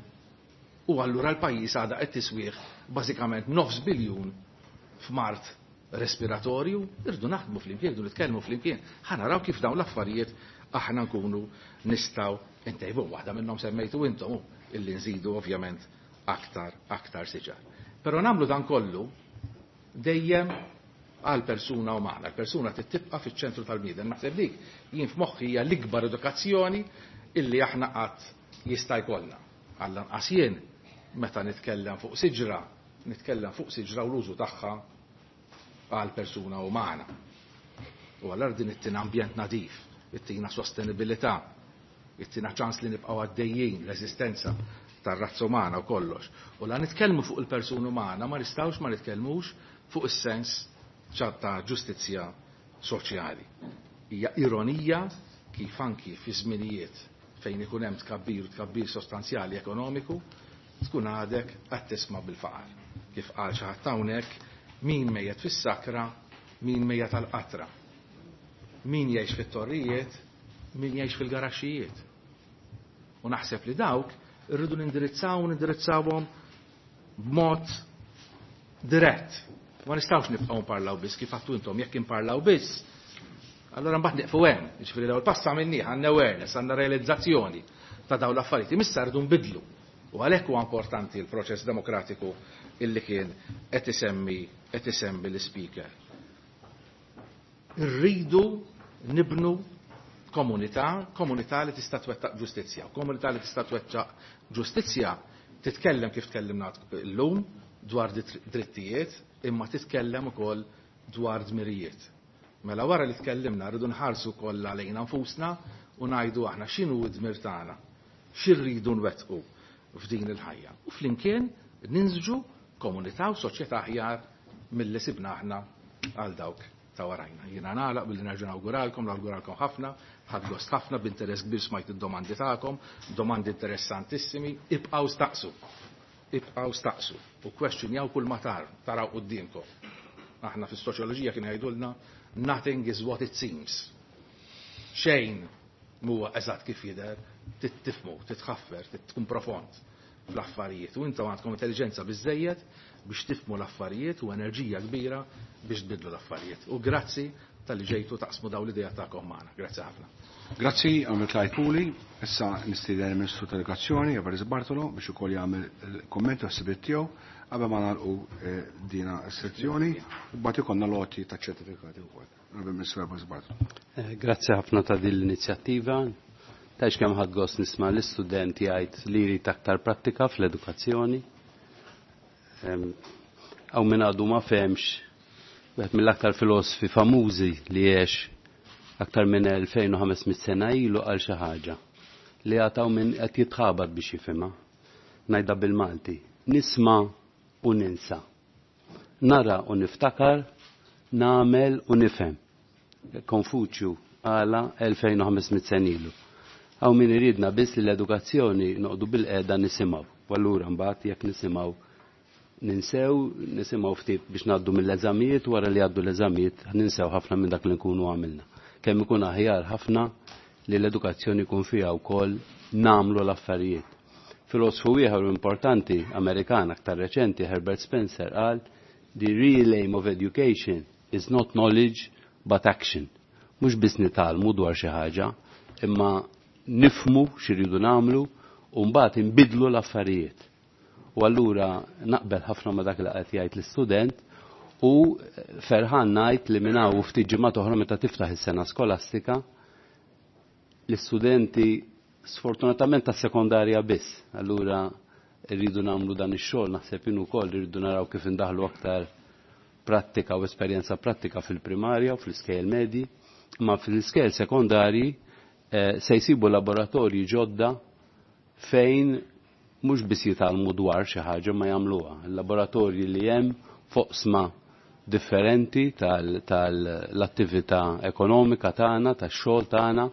U allura l-pajjiż għadha qed tiswieħ bażikament nofs biljun f'mart respiratorju. Irdu naħdmu flimkien, irdu nitkellmu flimkien, ħa naraw kif dawn l-affarijiet aħna nkunu nistgħu ntejbu. Waħda minnhom semmejtu intom, illi nżidu ovvjament aktar aktar siġar. Però nagħmlu dan kollu dejjem għal persuna umana. L-persuna tibqa' fiċ-ċentru tal-bniedem. Naħseb dik jien f'moħħi hija l-ikbar edukazzjoni illi aħna qatt jista' jkollna. Għall-anqas jien meta nitkellem fuq siġra, nitkellem fuq siġra u l-użu tagħha għal persuna umana. U allura din ittina ambjent nadif, ittina sostenibilità, ittina ċans li nibqgħu għaddejjin l-eżistenza tar-razza umana u kollox. U la nitkellmu fuq il-persuna umana ma nistgħux ma nitkellmux fuq is-sens ta' ġustizzja soċjali. Hija ironija kif anki fi żminijiet fejn ikun hemm tkabbir u tkabbir sostanzjali ekonomiku tkun għadek qed tisma' bil-faqar. Kif qal xi ħadd hawnhekk, min mejjet fis-sakra, min mejjet tal-qatra. Min jgħix fit-torrijiet, min jgħix fil-garaxxijiet. U naħseb li dawk irridu nindirizzaw u nindirizzawhom b'mod dirett. Ma nistgħux nibqgħu nparlaw biss kif għattu intom, jekk imparlaw biss, allora mbagħad nieqfu hemm. Jiġifieri l-ewwel pass għamilnieh, għandna awareness, għandna realizzazzjoni ta' dawn l-affarijiet. Imissa rridu nbidlu. U għalhekk huwa importanti l-proċess demokratiku illi kien qed isemmi qed isemmi l-speaker. Irridu nibnu komunità, komunità li tista' twettaq ġustizzja. Komunità li tista' twettaq ġustizzja titkellem kif tkellimna llum dwar drittijiet, imma titkellem ukoll dwar dmirijiet. Mela wara li tkellimna rridu nħarsu kollha lejna nfusna u ngħidu aħna x'inhu d-dmir tagħna, x'irridu nwettqu f'din il-ħajja. U flimkien ninżġu komunità u soċjetà aħjar milli sibna aħna għal dawk ta' warajna. Jiena nagħlaq billi nerġa' nawguralkom, nawguralkom ħafna, ħadt gost ħafna, b'interess kbir smajt id-domandi tagħkom, domandi interessantissimi, ibqgħu staqsu. Ibqgħu staqsu u kwestjonjaw kull ma tar taraw quddiemkom. Aħna fis-soċjoloġija kien jgħidulna nothing is what it seems. Xejn huwa eżatt kif jidher, tifhmu, titħaffer, tkun profond fl-affarijiet. U intom għandkom intelligenza biżejjed biex tifhmu l-affarijiet u enerġija kbira biex tbidlu l-affarijiet. U grazzi tal-li ġejtu taqsmu daw l-idea tagħkom magħna. Grazzi ħafna. Grazzi, għamil Clyde Puli. Issa nistieden il-Ministru tal-Edukazzjoni, Evarist Bartolo, biex ukoll jagħmel il-kumment u s-sibiet tiegħu qabel ma nagħlqu dina s-sezzjoni u mbagħad ikollna loti ta' ċertifikati wkoll. Ministru Evarist Bartolo. Grazzi ħafna ta' din l-inizjattiva. Tgħidx kemm ħadt gost nisma' l-istudent jgħid li jrid aktar prattika fl-edukazzjoni. Hawn min għadu ma fehmx, wieħed mill-aktar filosofi famużi li għex aktar minn elfejn u ħames mitt sena ilu qal xi ħaġa li għataw minn qed jitħabat biex jifhimha. Ngħidha bil-Malti: nisma' u ninsa. Nara u niftakar, nagħmel u nifhem. Konfuċju għala elfejn u ħames mitt sena ilu. Hawn min iridna biss li l-edukazzjoni noqogħdu bil-qiegħda nisimgħu. U allura mbagħad jekk nisimgħu ninsew, nisimgħu ftit biex ngħaddu mill-eżamijiet, wara li għaddu l-eżamijiet ninsew ħafna minn dak li nkunu għamilna. Kemm ikun aħjar ħafna li l-edukazzjoni jkun fiha wkoll nagħmlu l-affarijiet. Filosfu ieħor importanti Amerikan aktar reċenti, Herbert Spencer, qal the real aim of education is not knowledge but action. Mhux biss nitgħallmu dwar xi ħaġa, imma nifhmu x'iridu nagħmlu u mbagħad inbidlu l-affarijiet. U allura naqbel ħafna ma dak li qed jgħid l-istudent u ferħan ngħid li minn hawn ftit ġimgħat oħra meta tiftaħ is-sena skolastika l-istudenti sfortunatament tas-sekondarja biss. Allura rridu nagħmlu dan ix-xogħol, naħseb jien ukoll irridu naraw kif indaħlu aktar prattika u esperjenza prattika fil-primarja u fl-iskejjel medji, imma fl-iskejjel sekondarji eh, se jsibu laboratorji ġodda fejn mhux biss jitgħallmu dwar xi ħaġa ma jagħmluha. Il-laboratorji li hemm foqsma differenti tal-attività ekonomika tagħna, tax-xogħol tagħna,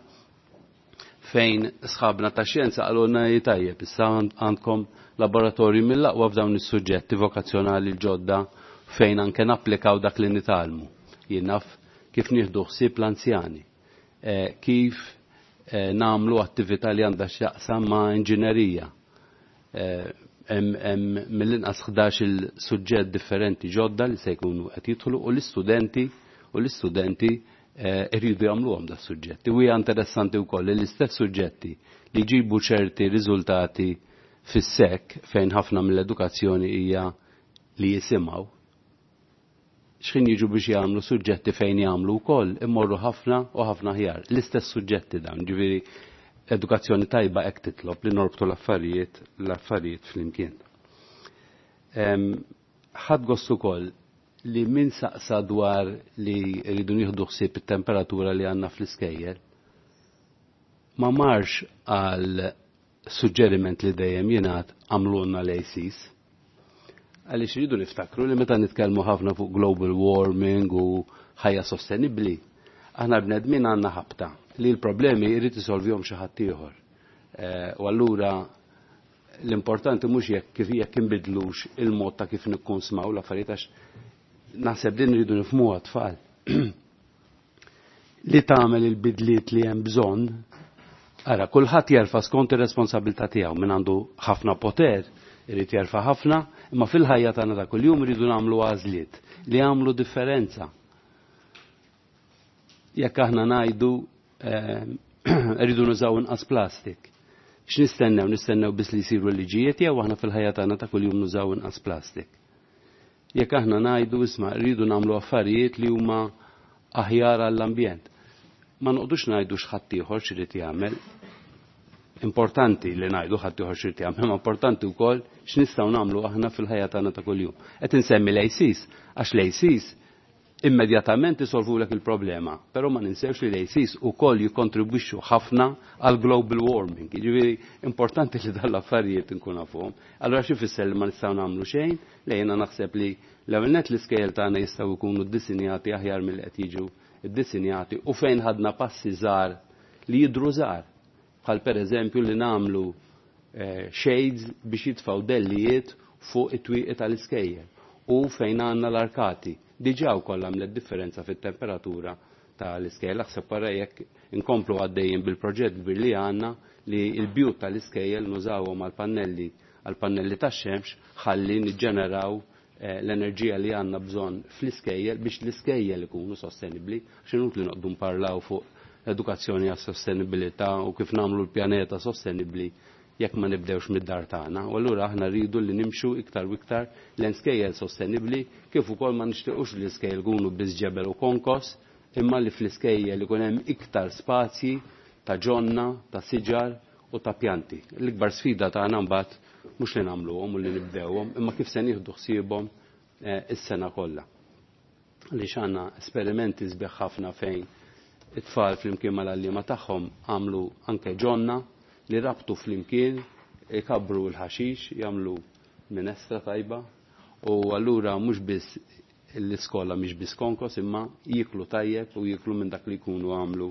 Fejn sħabna ta' xjenza qalulna tajjeb, issa għandkom laboratorju mill-aqwa f'dawn is-suġġetti vokazzjonali l-ġodda fejn anke napplikaw dak li nitgħallmu. Jien naf kif nieħdu ħsieb l-anzjani, eh, kif eh, nagħmlu attività li għandha x'jaqsam ma' inġinerija. Eh, hemm mill-inqas ħdax il-suġġett differenti ġodda li se jkunu qed jidħlu u l-istudenti u l-istudenti irridu jagħmluhom da suġġetti. U hija interessanti wkoll li l-istess suġġetti li jġibu ċerti riżultati fis-sekk fejn ħafna mill-edukazzjoni hija li jisimgħu. X'ħin jiġu biex jagħmlu suġġetti fejn jagħmlu wkoll immorru ħafna u ħafna aħjar. L-istess suġġetti dawn, ġifieri edukazzjoni tajba hekk titlob li norbtu l-affarijiet l-affarijiet flimkien. Ħadd gost ukoll li min saqsa dwar li rridu nieħdu ħsieb it-temperatura li għandna fl-iskejjel ma marx għal suġġeriment li dejjem jingħad għamlulna l-A Cs. Għaliex rridu niftakru li meta nitkellmu ħafna fuq global warming u ħajja sostenibbli, aħna bnedmin għandna ħabta li l-problemi jrid isolvihom xi ħadd ieħor. Eh, u allura l-importanti mhux jekk kif jekk inbidlux il-mod ta' kif nikkonsmaw l-affarijiet, għax naħseb din rridu nifhmuha, tfal. Li tagħmel il-bidliet li hemm bżonn, ara, kulħadd jerfa' skont ir-responsabilità tiegħu. Min għandu ħafna poter irid jerfa' ħafna, imma fil-ħajja tagħna ta' kuljum iridu nagħmlu għażliet li jagħmlu differenza. Jekk aħna ngħidu eh, rridu nużaw inqas plastik, x'nistennew? Nistennew biss li jsiru liġijiet jew aħna fil-ħajja tagħna ta' kuljum nużaw inqas plastik? Jekk aħna ngħidu, isma', rridu nagħmlu affarijiet li huma aħjar għall-ambjent, ma noqdux ngħidu x'ħadd ieħor x'irid jagħmel. Importanti li ngħidu ħadd ieħor x'irid jagħmel, ma importanti wkoll x'nistgħu nagħmlu aħna fil-ħajja tagħna ta' kuljum. Qed insemmi l-A Cs għax l-A Cs immedjatament isolvulek il-problema, però ma ninsewx li l-A Cs ukoll jikkontribwixxu ħafna għal global warming. Jiġifieri importanti li dal-affarijiet nkun nafuhom. Allura xi fisser, li ma nistgħu nagħmlu xejn? Le, jiena naħseb li l-ewwel nett l-iskejjel tagħna jistgħu jkunu ddisinjati aħjar milli qed jiġu ddisinjati u fejn ħadna passi żgħar li jidru żgħar. Bħal pereżempju li nagħmlu eh, shades biex jitfgħu dellijiet fuq it-twieqi tal-iskejjel u fejn għandna l-arkati diġà wkoll għamlet differenza fit-temperatura tal-iskejjel. Aħseb wara jekk inkomplu għaddejjin bil-proġett kbir li għandna li l-bjut tal-iskejjel nużawhom għal-pannelli għal-pannelli tax-xemx ħalli niġġeneraw eh, l-enerġija li għandna bżonn fl-iskejjel biex l-iskejjel ikunu sostenibbli. X'inut li noqdu nparlaw fuq l-edukazzjoni għas sostenibilità u kif nagħmlu l-pjaneta sostenibbli jekk ma nibdewx mid-dar tagħna? U allura aħna rridu li nimxu iktar u iktar lejn skejjel sostenibbli, kif ukoll ma nixtiequx li l-iskejjel ikunu biss ġebel u konkos, imma li fl-iskejjel ikun hemm iktar spazji ta' ġonna, ta' siġar u ta' pjanti. L-ikbar sfida tagħna mbagħad mhux li nagħmluhom u li nibdewhom, imma kif se nieħdu ħsiebhom eh, is-sena kollha. Għaliex għandna esperimenti sbieħ ħafna fejn it-tfal flimkien mal-għalliema tagħhom għamlu anke ġonna li rabtu flimkien, ikabru l-ħaxix, jagħmlu minestra tajba u allura mhux biss l-iskola mhix biss konkos, imma jiklu tajjeb u jiklu minn dak li jkunu għamlu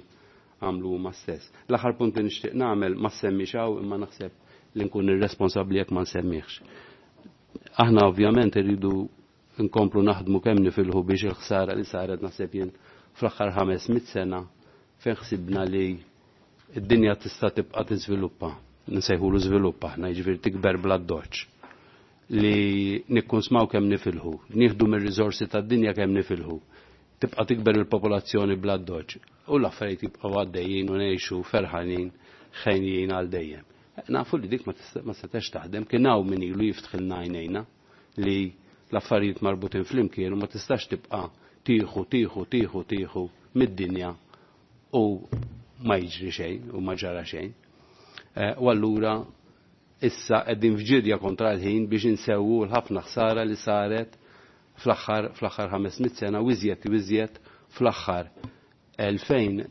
għamlu huma stess. L-aħħar punt li nixtieq nagħmel ma semmix hawn, imma naħseb li nkun irresponsabbli jekk ma nsemmihx. Aħna ovvjament irridu nkomplu naħdmu kemm nifilħu biex il-ħsara li saret, naħseb jien, fl-aħħar ħames mit sena fejn ħsibna li id-dinja tista' tibqa' tiżviluppa. Nsejħulu żviluppa aħna, jiġifieri tikber bla doċ. Li nikkunsmaw kemm nifilħu, nieħdu mir-riżorsi tad-dinja kemm nifilħu. Tibqa' tikber il-popolazzjoni bla doċ. U l-affarijiet jibqgħu għaddejjin u ngħixu ferħanin ħenjin għal dejjem. Nafu li dik ma setax taħdem, kien hawn min ilu jiftħilna għajnejna li l-affarijiet marbutin flimkien u ma tistax tibqa' tieħu, tieħu, tieħu, tieħu mid-dinja u ma jiġri xejn u ma ġara xejn. Eh, u allura issa qegħdin f'ġirja kontra l-ħin biex insewwu l-ħafna ħsara li saret fl-aħħar fl-aħħar ħames mitt sena u iżjed u iżjed fl-aħħar elfejn,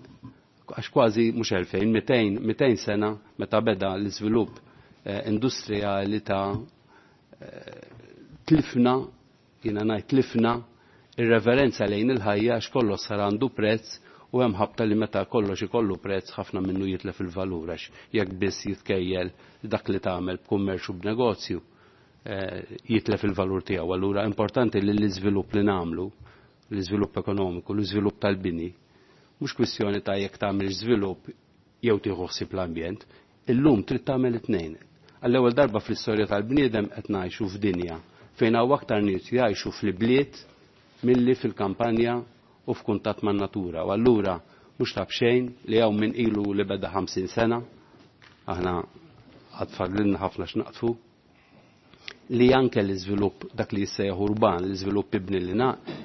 għax kważi mhux elfejn, mitejn mitejn sena meta beda l-iżvilupp eh, industrijali ta' eh, tlifna, jiena ngħid tlifna ir-reverenza lejn il-ħajja, għax kollox sar għandu prezz. U hemm ħabta li meta kollox ikollu prezz ħafna minnu jitlef il-valur għax jekk biss jitkejjel dak li tagħmel b'kummerċ u b'negozju eh, jitlef il-valur tiegħu. Allura importanti li l-iżvilupp li nagħmlu, l-iżvilupp ekonomiku, l-iżvilupp tal-bini, mhux kwistjoni ta' jekk tagħmel żvilupp jew tieħu ħsieb l-ambjent, illum trid tagħmel it-tnejn. Għall-ewwel darba fl-istorja tal-bniedem qed ngħixu f'dinja fejn hawn aktar nies jgħixu fl-ibliet milli fil-kampanja u f'kuntatt man-natura. U allura mhux ta' b'xejn li hawn min ilu li beda ħamsin sena, aħna għad fadlilna ħafna x'naqtfu, li anke l-iżvilupp dak li jissejjaħ urban, l-iżvilupp ibni li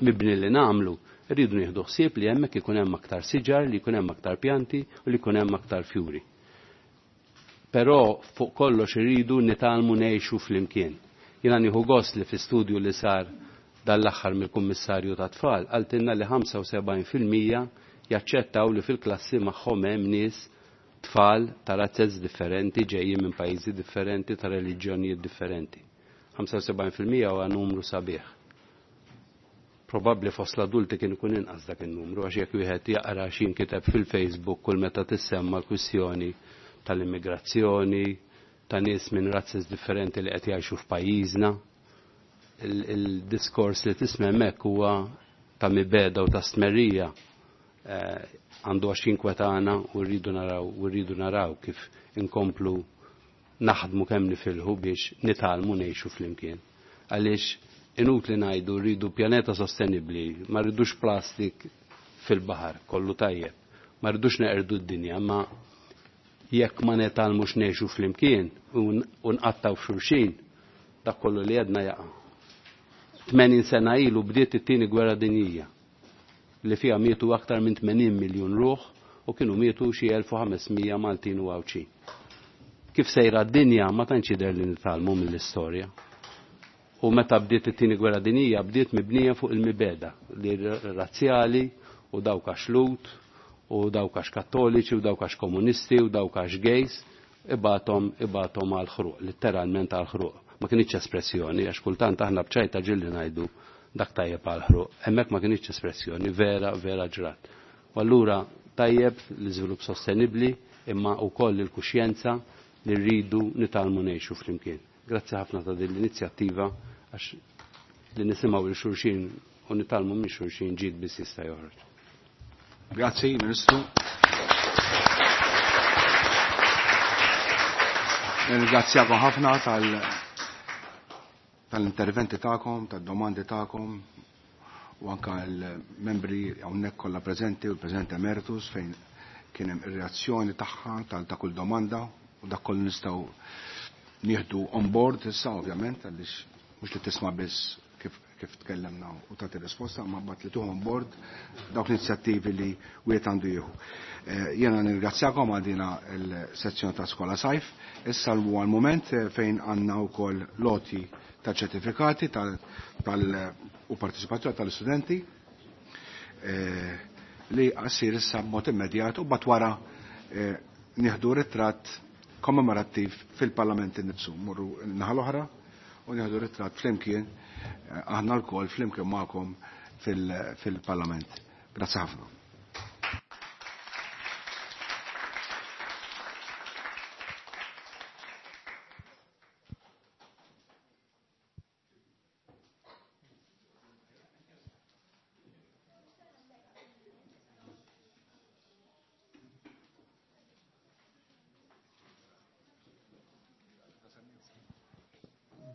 mibni li nagħmlu, rridu nieħdu ħsieb li hemmhekk ikun hemm aktar siġar, li jkun hemm aktar pjanti u li jkun hemm aktar fjuri. Però fuq kollox irridu nitgħallmu ngħixu flimkien. Jiena nieħu gost li fi studju li sar dal-aħħar mill-Kummissarju tat-Tfal qaltilna li ħamsa u sebgħin fil-mija jaċċettaw li fil-klassi magħhom hemm nies tfal ta' razzez differenti, ġejjin minn pajjiżi differenti, ta' reliġjonijiet differenti. ħamsa u sebgħin fil-mija huwa numru sabiħ. Probabbli fost l-adulti kien ikun inqas dak in-numru għax jekk wieħed jaqra x'inkiteb fil-Facebook kull meta tissemma l-kwistjoni tal-immigrazzjoni, ta' nies minn razzez differenti li qed jgħixu f'pajjiżna. Il-diskors li tisma' hemmhekk huwa ta' mibeda u ta' stmerrija, għandu għax jinkwetana u rridu naraw, u rridu naraw kif inkomplu naħdmu kemm nifilħu biex nitgħallmu ngħixu flimkien. Għaliex inutli ngħidu rridu pjaneta sostenibbli, ma rridux plastik fil-baħar, kollu tajjeb, ma rridux neqerdu d-dinja, ma jekk ma nitgħallmux ngħixu flimkien u nqattaw f'xulxin, dak kollu li għedna jaqa'. tmenin sena ilu bdiet it-tieni gwerra dinjija li fiha mietu aktar minn tmenin miljun ruħ u kienu mietu xi elf u ħames mija Maltin u Għawdxin. Kif sejra d-dinja ma tantx jidher li nitgħallmu mill-istorja. U meta bdiet it-tieni gwerra dinjija bdiet mibnija fuq il-mibeda li razzjali u dawk għax Lhud u dawk għax Kattoliċi u dawk għax komunisti u dawk għax gays ibathom ibathom għal ħruq, letteralment għal ħruq. Ma kienx espressjoni, għax kultant aħna bċajta ġilli ngħidu dak tajjeb għal ħruq. Hemmhekk ma kienx espressjoni, vera, vera ġrat. U allura tajjeb l-iżvilupp sostenibbli imma wkoll il-kuxjenza li rridu nitgħallmu ngħixu flimkien. Grazzi ħafna ta' din l-inizjattiva għax li nisimgħu lil xulxin u nitgħallmu minn xulxin ġid biss jista' joħroġ. Grazzi, Ministru. Ringrazzjakom ħafna tal tal-interventi tagħkom, tad-domandi tagħkom u anka l-membri hawnhekk kollha preżenti u l-President Emeritus fejn kien hemm ir-reazzjoni tagħha tal ta' kull domanda u dak kollu nistgħu nieħdu on board issa ovvjament għaliex mhux li tisma' biss kif kif tkellemna u tagħti risposta, ma mbagħad li tuħu on board dawk l-inizjattivi li wieħed għandu jieħu. Jiena nirringrazzjakom għal dina l-sezzjoni ta' Skola Sajf. Issa huwa l-mument fejn għandna wkoll loti ta' ċertifikati tal, tal, u partecipazzjoni tal-istudenti eh, li għasir issa b'mod immedjat u bat wara eh, nieħdu ritratt kommemorattiv fil-Parlament innifsu. Morru naħa l-oħra u nieħdu ritratt flimkien aħna lkoll flimkien magħkom fil-Parlament. Grazzi ħafna.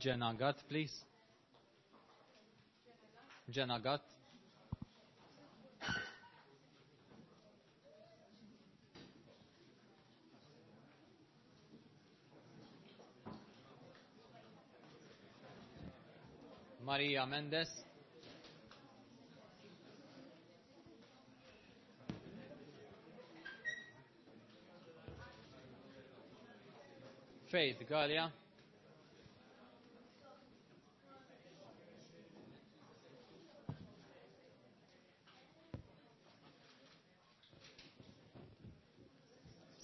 Jenna Gatt, please. Jenna Gatt. Maria Mendes. Faith Gallia.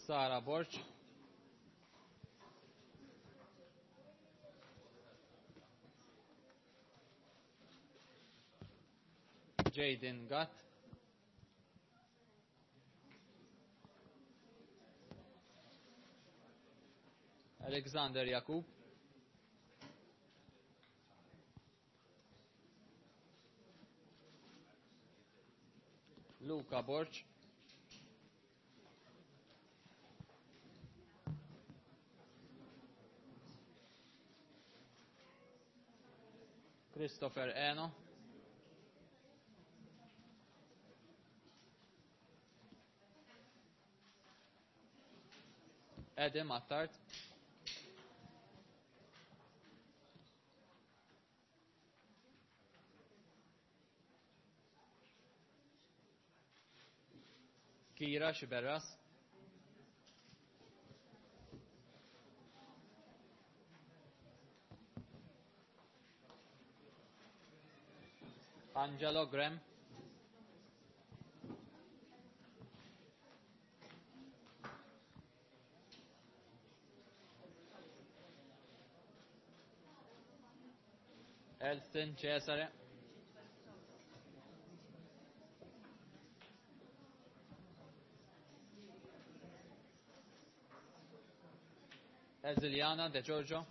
Sara Borch. Jaden Gatt. Alexander Jakub. Luca Borg. Christopher Eno. Edim Attard. Kira Xiberras. Angelo Graham. Elston Cesare. Eziliana De Giorgio.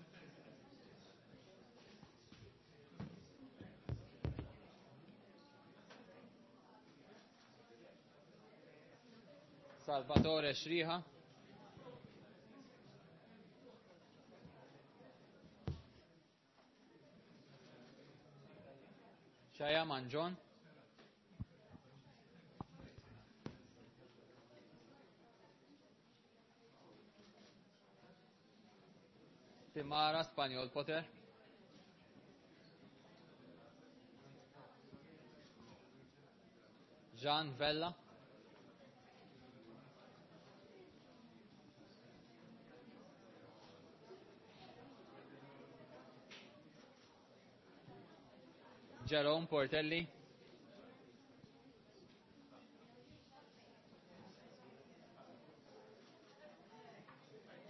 Salvatore Shriha. Shaya Manjon. Timara Spaniol Potter. Jean Vella. Jerome Portelli.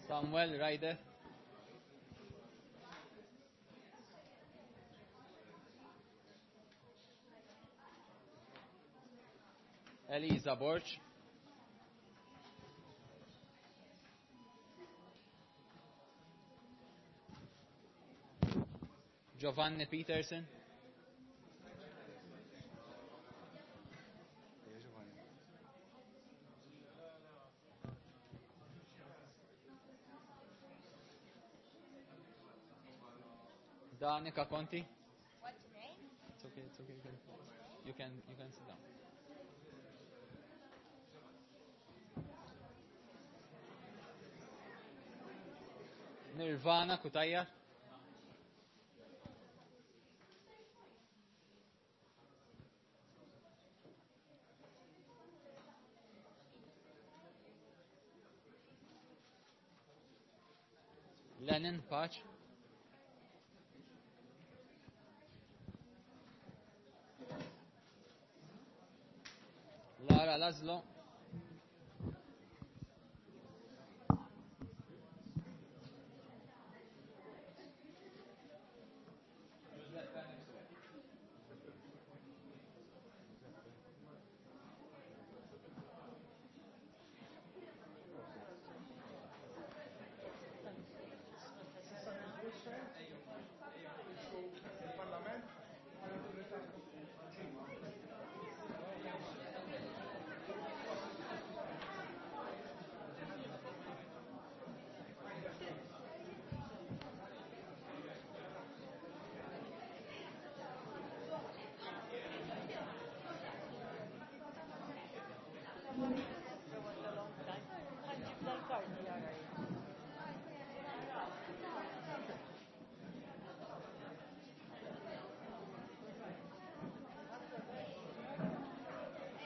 Samuel Ryder. Elisa Borch. Giovanni Peterson. Danica Conti. What's your name? It's okay, it's okay. You can, you can, you can sit down. Nirvana Kutaya. Lenin Pach. Lara Laszlo.